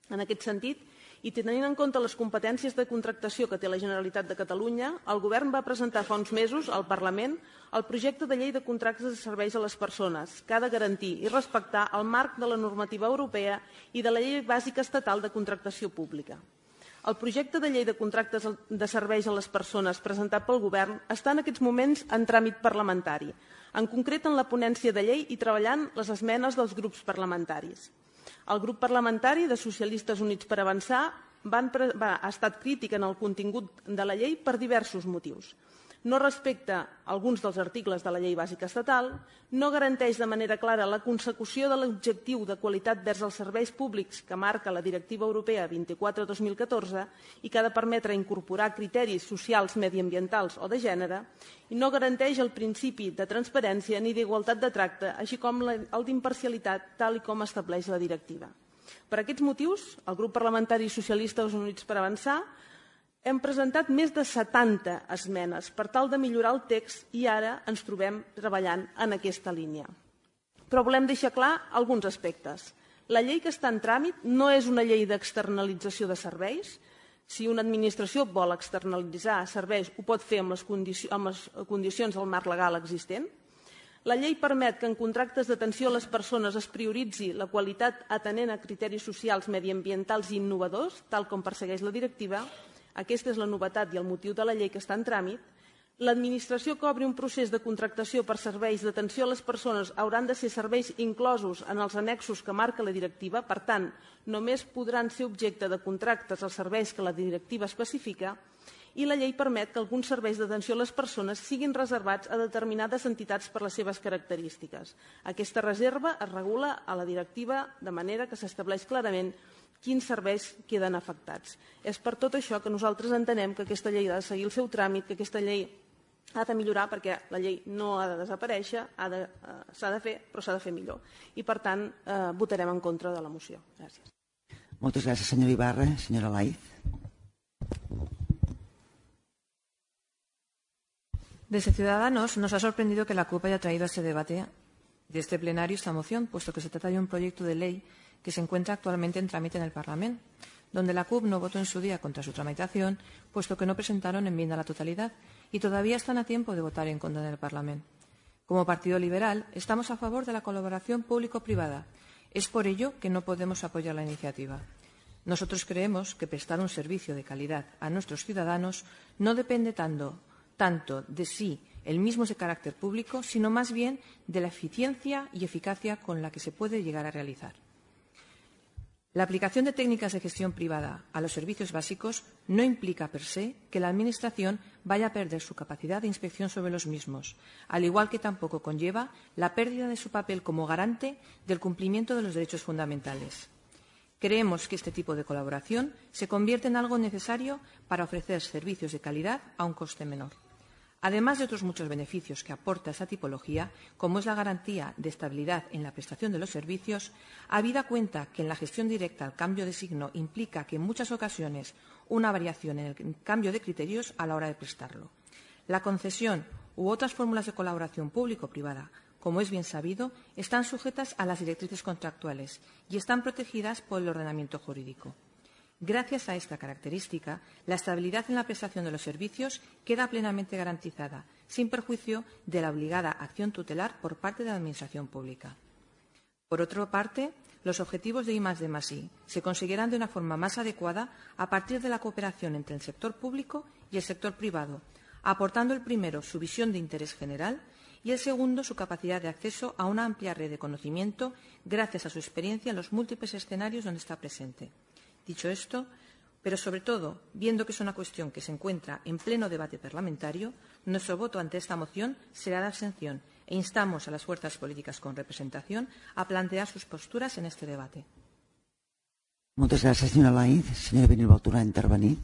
En aquest sentit, i tenint en compte les competències de contractació que té la Generalitat de Catalunya, el Govern va presentar fa uns mesos al Parlament el projecte de llei de contractes de serveis a les persones, que ha de garantir i respectar el marc de la normativa europea i de la llei bàsica estatal de contractació pública. El projecte de llei de contractes de serveis a les persones presentat pel Govern està en aquests moments en tràmit parlamentari, en concret en la ponència de llei i treballant les esmenes dels grups parlamentaris. El grup parlamentari de Socialistes Units per Avançar van, va, ha estat crític en el contingut de la llei per diversos motius. No respecta alguns dels articles de la llei bàsica estatal, no garanteix de manera clara la consecució de l'objectiu de qualitat vers els serveis públics que marca la Directiva Europea vint-i-quatre dos mil catorze i que ha de permetre incorporar criteris socials, mediambientals o de gènere, i no garanteix el principi de transparència ni d'igualtat de tracte, així com el d'imparcialitat, tal com estableix la directiva. Per aquests motius, el grup parlamentari Socialistes Units per Avançar hem presentat més de setanta esmenes per tal de millorar el text i ara ens trobem treballant en aquesta línia. Però volem deixar clar alguns aspectes. La llei que està en tràmit no és una llei d'externalització de serveis. Si una administració vol externalitzar serveis, ho pot fer amb les, condici amb les condicions del marc legal existent. La llei permet que en contractes d'atenció a les persones es prioritzi la qualitat atenent a criteris socials, mediambientals i innovadors, tal com persegueix la directiva. Aquesta és la novetat i el motiu de la llei que està en tràmit. L'administració que obri un procés de contractació per serveis d'atenció a les persones hauran de ser serveis inclosos en els annexos que marca la directiva, per tant, només podran ser objecte de contractes els serveis que la directiva especifica, i la llei permet que alguns serveis d'atenció a les persones siguin reservats a determinades entitats per les seves característiques. Aquesta reserva es regula a la directiva de manera que s'estableix clarament quins serveis queden afectats. És per tot això que nosaltres entenem que aquesta llei ha de seguir el seu tràmit, que aquesta llei ha de millorar perquè la llei no ha de desaparèixer, s'ha de, uh, de fer, però s'ha de fer millor. I, per tant, uh, votarem en contra de la moció. Gràcies. Moltes gràcies, senyora Ibarra. Senyora Laiz. Desde Ciudadanos nos ha sorprendido que la C U P haya traído a este debate de este plenario esta moción, puesto que se trata de un proyecto de ley que se encuentra actualmente en trámite en el Parlamento, donde la C U P no votó en su día contra su tramitación, puesto que no presentaron enmienda a la totalidad y todavía están a tiempo de votar en contra en el Parlamento. Como Partido Liberal, estamos a favor de la colaboración público-privada. Es por ello que no podemos apoyar la iniciativa. Nosotros creemos que prestar un servicio de calidad a nuestros ciudadanos no depende tanto, tanto de si el mismo es de carácter público, sino más bien de la eficiencia y eficacia con la que se puede llegar a realizar. La aplicación de técnicas de gestión privada a los servicios básicos no implica per se que la Administración vaya a perder su capacidad de inspección sobre los mismos, al igual que tampoco conlleva la pérdida de su papel como garante del cumplimiento de los derechos fundamentales. Creemos que este tipo de colaboración se convierte en algo necesario para ofrecer servicios de calidad a un coste menor. Además de otros muchos beneficios que aporta esta tipología, como es la garantía de estabilidad en la prestación de los servicios, habida cuenta que en la gestión directa el cambio de signo implica que en muchas ocasiones una variación en el cambio de criterios a la hora de prestarlo. La concesión u otras fórmulas de colaboración público-privada, como es bien sabido, están sujetas a las directrices contractuales y están protegidas por el ordenamiento jurídico. Gracias a esta característica, la estabilidad en la prestación de los servicios queda plenamente garantizada, sin perjuicio de la obligada acción tutelar por parte de la Administración pública. Por otra parte, los objetivos de I más D más I se conseguirán de una forma más adecuada a partir de la cooperación entre el sector público y el sector privado, aportando el primero su visión de interés general y el segundo su capacidad de acceso a una amplia red de conocimiento gracias a su experiencia en los múltiples escenarios donde está presente. Dicho esto, pero sobre todo, viendo que es una cuestión que se encuentra en pleno debate parlamentario, nuestro voto ante esta moción será de abstención e instamos a las fuerzas políticas con representación a plantear sus posturas en este debate. Moltes gràcies, senyora Laiz. Senyora Benilbau, tornar a intervenir.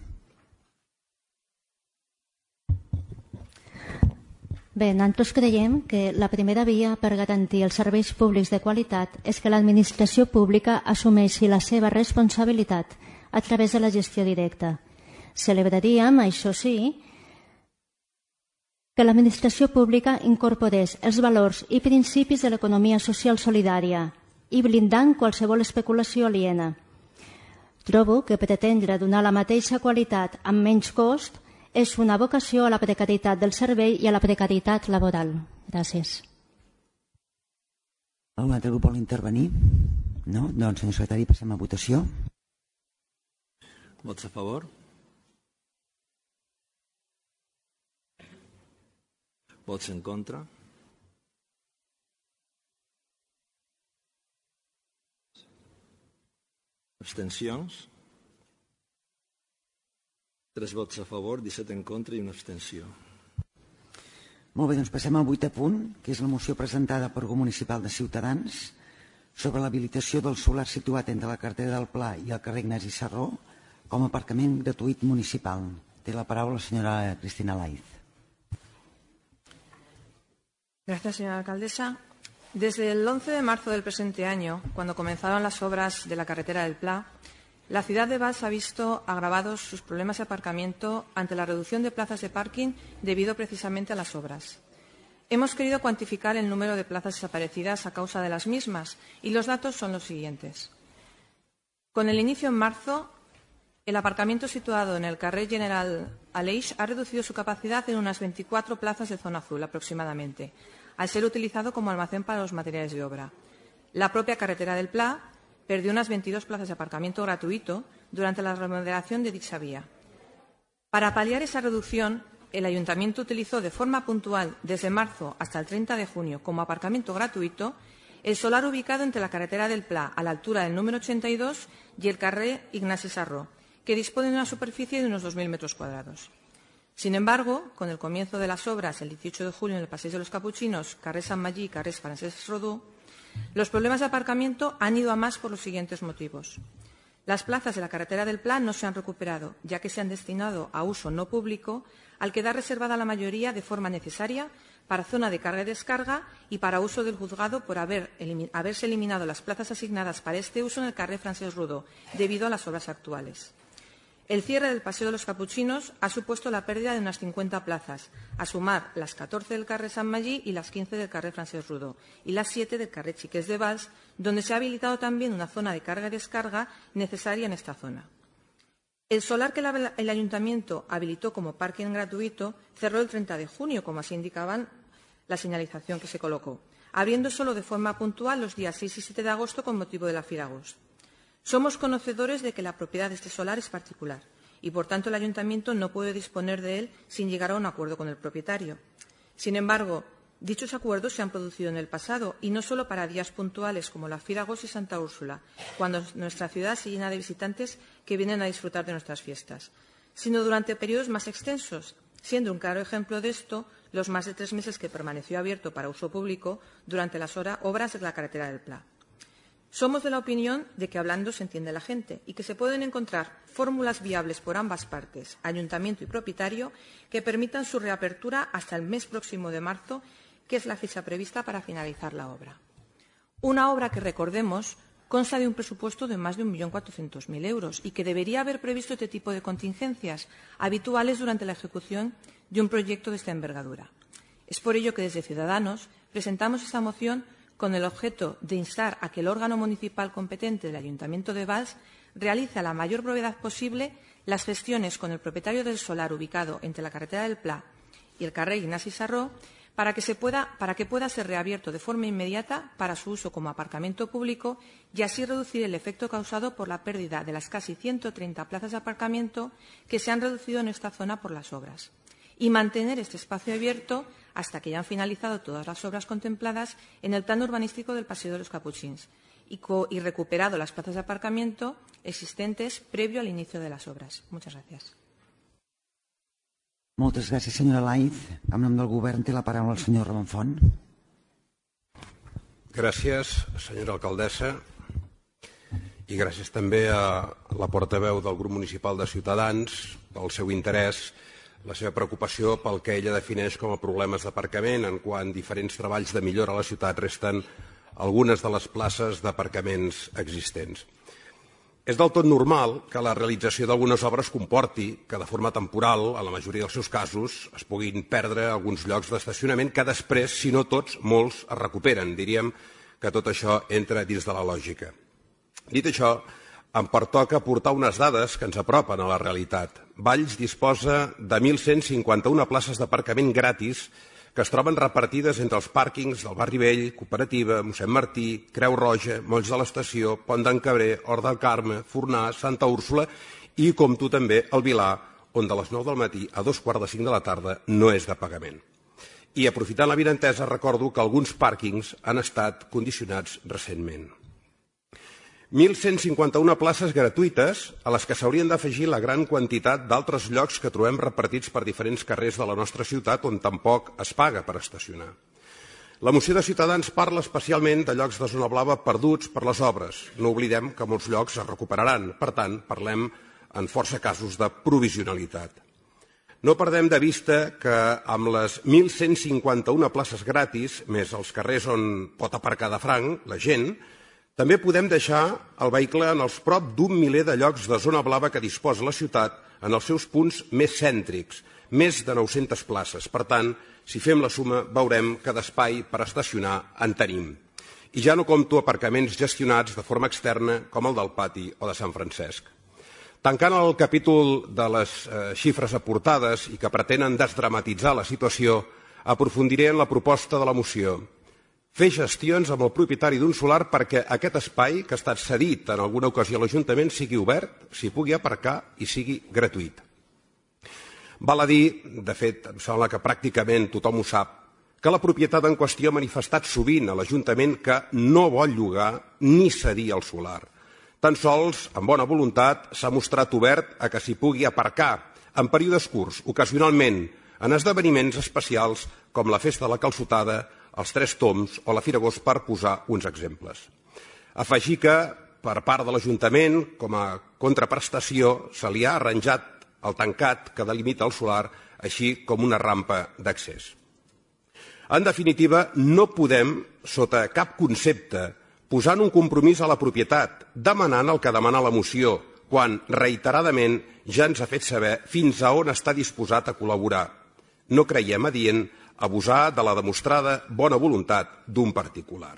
Bé, nosaltres creiem que la primera via per garantir els serveis públics de qualitat és que l'administració pública assumeixi la seva responsabilitat a través de la gestió directa. Celebraríem, això sí, que l'administració pública incorporés els valors i principis de l'economia social solidària i blindant qualsevol especulació aliena. Trobo que pretendre donar la mateixa qualitat amb menys cost és una vocació a la precarietat del servei i a la precarietat laboral. Gràcies. Algun altre grup vol intervenir? No? Doncs, senyor secretari, passem a votació. Vots a favor? Vots en contra? Abstencions? Tres vots a favor, disset en contra i una abstenció. Molt bé, doncs passem al vuitè punt, que és la moció presentada pel grup municipal de Ciutadans sobre l'habilitació del solar situat entre la carretera del Pla i el carrer Ignasi Sarró com a aparcament gratuït municipal. Té la paraula la senyora Cristina Laiz. Gracias, señora alcaldesa. Desde el once de marzo del presente año, cuando comenzaron las obras de la carretera del Pla, la ciudad de Valls ha visto agravados sus problemas de aparcamiento ante la reducción de plazas de parking debido precisamente a las obras. Hemos querido cuantificar el número de plazas desaparecidas a causa de las mismas y los datos son los siguientes. Con el inicio en marzo, el aparcamiento situado en el carrer General Aleix ha reducido su capacidad en unas veinticuatro plazas de zona azul aproximadamente, al ser utilizado como almacén para los materiales de obra. La propia carretera del Pla perdió unas veintidós plazas de aparcamiento gratuito durante la remodelación de dicha vía. Para paliar esa reducción, el Ayuntamiento utilizó de forma puntual desde marzo hasta el treinta de junio como aparcamiento gratuito el solar ubicado entre la carretera del Pla a la altura del número ochenta y dos y el carrer Ignasi Sarró, que dispone de una superficie de unos dos mil metros cuadrados. Sin embargo, con el comienzo de las obras el dieciocho de julio en el Passeig de los Capuchinos, carrer Sant Magí y carrer Francesc Rodó, los problemas de aparcamiento han ido a más por los siguientes motivos. Las plazas de la carretera del Pla no se han recuperado, ya que se han destinado a uso no público, al quedar reservada la mayoría de forma necesaria para zona de carga y descarga y para uso del juzgado por haber, elimin, haberse eliminado las plazas asignadas para este uso en el carrer Francesc Rodó, debido a las obras actuales. El cierre del Paseo de los Capuchinos ha supuesto la pérdida de unas cincuenta plazas, a sumar las catorce del carrer Sant Magí y las quince del carrer Francesc Rodó, y las siete del carrer Chiqués de Valls, donde se ha habilitado también una zona de carga y descarga necesaria en esta zona. El solar que el Ayuntamiento habilitó como parking gratuito cerró el treinta de junio, como así indicaban la señalización que se colocó, abriendo solo de forma puntual los días seis y siete de agosto con motivo de la Firagos. Somos conocedores de que la propiedad de este solar es particular y, por tanto, el Ayuntamiento no puede disponer de él sin llegar a un acuerdo con el propietario. Sin embargo, dichos acuerdos se han producido en el pasado y no solo para días puntuales como la Firagos y Santa Úrsula, cuando nuestra ciudad se llena de visitantes que vienen a disfrutar de nuestras fiestas, sino durante periodos más extensos, siendo un claro ejemplo de esto los más de tres meses que permaneció abierto para uso público durante las obras de la carretera del Pla. Somos de la opinión de que hablando se entiende la gente y que se pueden encontrar fórmulas viables por ambas partes, ayuntamiento y propietario, que permitan su reapertura hasta el mes próximo de marzo, que es la fecha prevista para finalizar la obra. Una obra que, recordemos, consta de un presupuesto de más de un millón cuatrocientos mil euros y que debería haber previsto este tipo de contingencias habituales durante la ejecución de un proyecto de esta envergadura. Es por ello que desde Ciudadanos presentamos esta moción con el objeto de instar a que el órgano municipal competente del Ayuntamiento de Valls realice a la mayor brevedad posible las gestiones con el propietario del solar ubicado entre la carretera del Pla y el carrer Ignasi Sarró para que, se pueda, para que pueda ser reabierto de forma inmediata para su uso como aparcamiento público y así reducir el efecto causado por la pérdida de las casi ciento treinta plazas de aparcamiento que se han reducido en esta zona por las obras, y mantener este espacio abierto hasta que hayan finalizado todas las obras contempladas en el plan urbanístico del Paseo de los Capuchins y, co y recuperado las plazas de aparcamiento existentes previo al inicio de las obras. Muchas gracias. Moltes gràcies, senyora Laiz. En nom del Govern té la paraula el senyor Ramon Font. Gràcies, senyora alcaldessa, i gràcies també a la portaveu del grup municipal de Ciutadans pel seu interès, la seva preocupació pel que ella defineix com a problemes d'aparcament, en quan diferents treballs de millora a la ciutat resten algunes de les places d'aparcaments existents. És del tot normal que la realització d'algunes obres comporti que de forma temporal, en la majoria dels seus casos, es puguin perdre alguns llocs d'estacionament que després, si no tots, molts es recuperen. Diríem que tot això entra dins de la lògica. Dit això, em pertoca aportar unes dades que ens apropen a la realitat. Valls disposa de mil cent cinquanta-una places d'aparcament gratis que es troben repartides entre els pàrquings del Barri Vell, Cooperativa, mossèn Martí, Creu Roja, Molls de l'Estació, Pont d'en Cabrer, Hort del Carme, Fornà, Santa Úrsula i, com tu també, el Vilar, on de les nou del matí a dos quarts de cinc de la tarda no és de pagament. I, aprofitant l'avinentesa, recordo que alguns pàrquings han estat condicionats recentment. mil cent cinquanta-una places gratuïtes a les que s'haurien d'afegir la gran quantitat d'altres llocs que trobem repartits per diferents carrers de la nostra ciutat on tampoc es paga per estacionar. La moció de Ciutadans parla especialment de llocs de zona blava perduts per les obres. No oblidem que molts llocs es recuperaran. Per tant, parlem en força casos de provisionalitat. No perdem de vista que amb les mil cent cinquanta-una places gratis, més els carrers on pot aparcar de franc la gent, també podem deixar el vehicle en els prop d'un miler de llocs de zona blava que disposa la ciutat en els seus punts més cèntrics, més de nou-centes places. Per tant, si fem la suma, veurem que d'espai per estacionar en tenim. I ja no compto aparcaments gestionats de forma externa com el del Pati o de Sant Francesc. Tancant el capítol de les eh, xifres aportades i que pretenen desdramatitzar la situació, aprofundiré en la proposta de la moció. Fer gestions amb el propietari d'un solar perquè aquest espai, que ha estat cedit en alguna ocasió a l'Ajuntament, sigui obert, s'hi pugui aparcar i sigui gratuït. Val a dir, de fet, em sembla que pràcticament tothom ho sap, que la propietat en qüestió ha manifestat sovint a l'Ajuntament que no vol llogar ni cedir el solar. Tan sols, amb bona voluntat, s'ha mostrat obert a que s'hi pugui aparcar en períodes curts, ocasionalment, en esdeveniments especials com la Festa de la Calçotada, els Tres Tombs o la Firagós, per posar uns exemples. Afegir que, per part de l'Ajuntament, com a contraprestació, se li ha arranjat el tancat que delimita el solar, així com una rampa d'accés. En definitiva, no podem, sota cap concepte, posar un compromís a la propietat, demanant el que demana la moció, quan reiteradament ja ens ha fet saber fins a on està disposat a col·laborar. No creiem adient abusar de la demostrada bona voluntat d'un particular.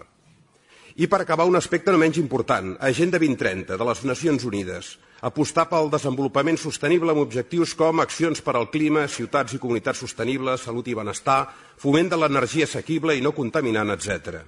I per acabar, un aspecte no menys important, Agenda vint trenta de les Nacions Unides, apostar pel desenvolupament sostenible amb objectius com accions per al clima, ciutats i comunitats sostenibles, salut i benestar, foment de l'energia assequible i no contaminant, etcètera.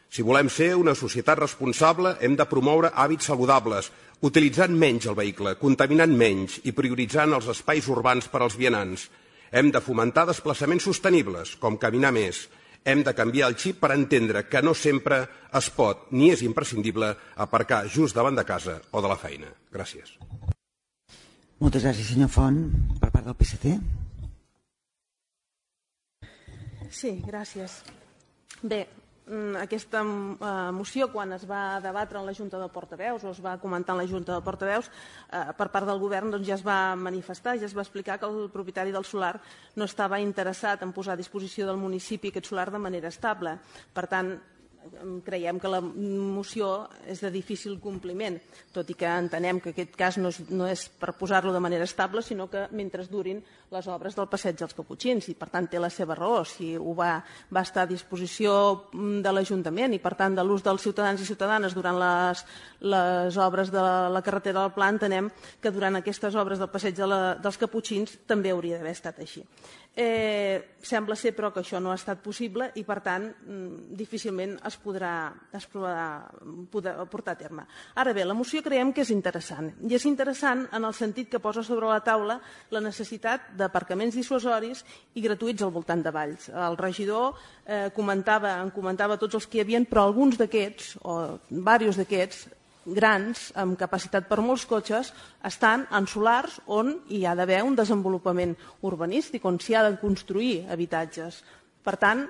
Si volem ser una societat responsable, hem de promoure hàbits saludables, utilitzant menys el vehicle, contaminant menys i prioritzant els espais urbans per als vianants. Hem de fomentar desplaçaments sostenibles, com caminar més. Hem de canviar el xip per entendre que no sempre es pot ni és imprescindible aparcar just davant de casa o de la feina. Gràcies. Moltes gràcies, senyor Font. Per part del P S C. Sí, gràcies. Bé, aquesta moció, quan es va debatre en la Junta de Portaveus o es va comentar en la Junta de Portaveus, per part del govern ja es va manifestar, ja es va explicar que el propietari del solar no estava interessat en posar a disposició del municipi aquest solar de manera estable. Per tant, creiem que la moció és de difícil compliment, tot i que entenem que aquest cas no és, no és per posar-lo de manera estable, sinó que mentre durin les obres del Passeig dels Caputxins, i per tant té la seva raó. Si ho va, va estar a disposició de l'Ajuntament i per tant de l'ús dels ciutadans i ciutadanes durant les, les obres de la carretera del Pla, entenem que durant aquestes obres del Passeig de la, dels Caputxins també hauria d'haver estat així. Eh, sembla ser però que això no ha estat possible i per tant difícilment es podrà, es podrà, podrà portar a terme. Ara bé, la moció creiem que és interessant i és interessant en el sentit que posa sobre la taula la necessitat d'aparcaments dissuasoris i gratuïts al voltant de Valls. El regidor eh, comentava, en comentava tots els que hi havia, però alguns d'aquests o diversos d'aquests grans, amb capacitat per molts cotxes, estan en solars on hi ha d'haver un desenvolupament urbanístic, on s'hi ha de construir habitatges. Per tant,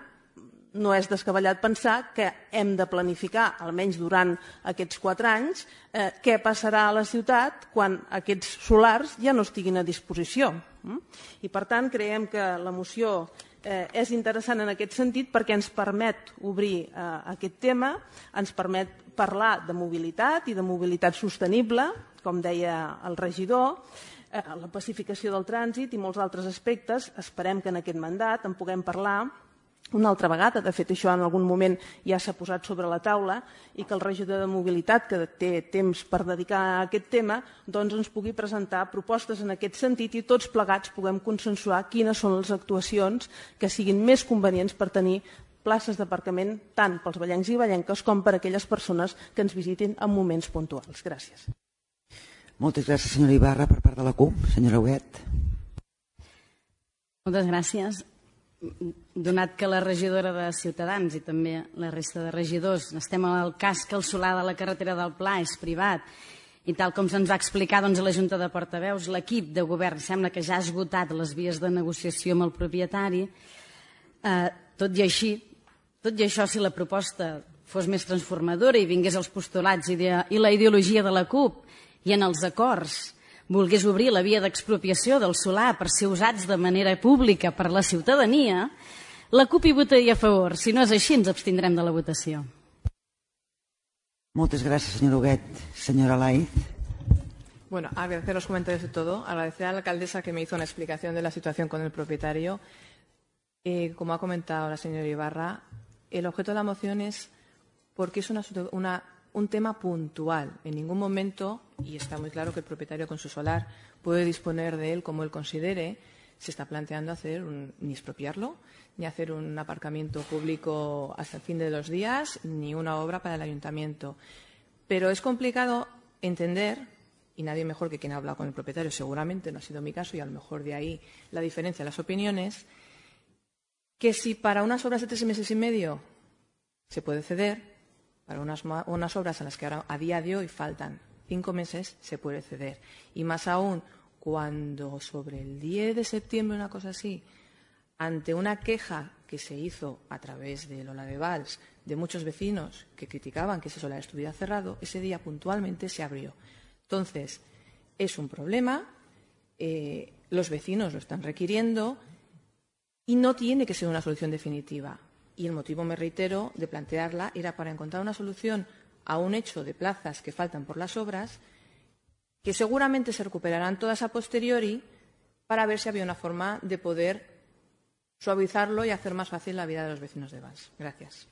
no és descabellat pensar que hem de planificar, almenys durant aquests quatre anys, eh, què passarà a la ciutat quan aquests solars ja no estiguin a disposició. I per tant, creiem que la moció eh, és interessant en aquest sentit perquè ens permet obrir eh, aquest tema, ens permet parlar de mobilitat i de mobilitat sostenible, com deia el regidor, eh, la pacificació del trànsit i molts altres aspectes. Esperem que en aquest mandat en puguem parlar una altra vegada. De fet, això en algun moment ja s'ha posat sobre la taula i que el regidor de mobilitat, que té temps per dedicar a aquest tema, doncs ens pugui presentar propostes en aquest sentit i tots plegats puguem consensuar quines són les actuacions que siguin més convenients per tenir places d'aparcament tant pels vallencs i vallenques com per a aquelles persones que ens visitin en moments puntuals. Gràcies. Moltes gràcies, senyora Ibarra. Per part de la C U P, senyora Huguet. Moltes gràcies. Donat que la regidora de Ciutadans i també la resta de regidors estem al cas que el solar de la carretera del Pla és privat i tal com se'ns va explicar doncs, a la Junta de Portaveus, l'equip de govern sembla que ja ha esgotat les vies de negociació amb el propietari. Eh, tot i així, tot i això, si la proposta fos més transformadora i vingués als postulats i, de, i la ideologia de la C U P i en els acords volgués obrir la via d'expropiació del solar per ser usats de manera pública per la ciutadania, la C U P hi votaria a favor. Si no és així, ens abstindrem de la votació. Moltes gràcies, senyora Huguet. Senyora Laiz. Bueno, agradecer los comentarios de todo. Agradecer a la alcaldesa que me hizo una explicación de la situación con el propietario. Eh, como ha comentado la señora Ibarra, el objeto de la moción es porque es una, una, un tema puntual. En ningún momento, y está muy claro que el propietario con su solar puede disponer de él como él considere, se está planteando hacer un, ni expropiarlo, ni hacer un aparcamiento público hasta el fin de los días, ni una obra para el ayuntamiento. Pero es complicado entender, y nadie mejor que quien ha hablado con el propietario, seguramente no ha sido mi caso, y a lo mejor de ahí la diferencia de las opiniones, que si para unas obras de tres meses y medio se puede ceder, para unas, unas obras a las que ahora, a día de hoy faltan cinco meses, se puede ceder. Y más aún, cuando sobre el diez de septiembre, una cosa así, ante una queja que se hizo a través de Lola de Valls de muchos vecinos que criticaban que ese solar estuviera cerrado, ese día puntualmente se abrió. Entonces, es un problema, eh, los vecinos lo están requiriendo y no tiene que ser una solución definitiva. Y el motivo, me reitero, de plantearla era para encontrar una solución a un hecho de plazas que faltan por las obras, que seguramente se recuperarán todas a posteriori, para ver si había una forma de poder suavizarlo y hacer más fácil la vida de los vecinos de Valls. Gracias.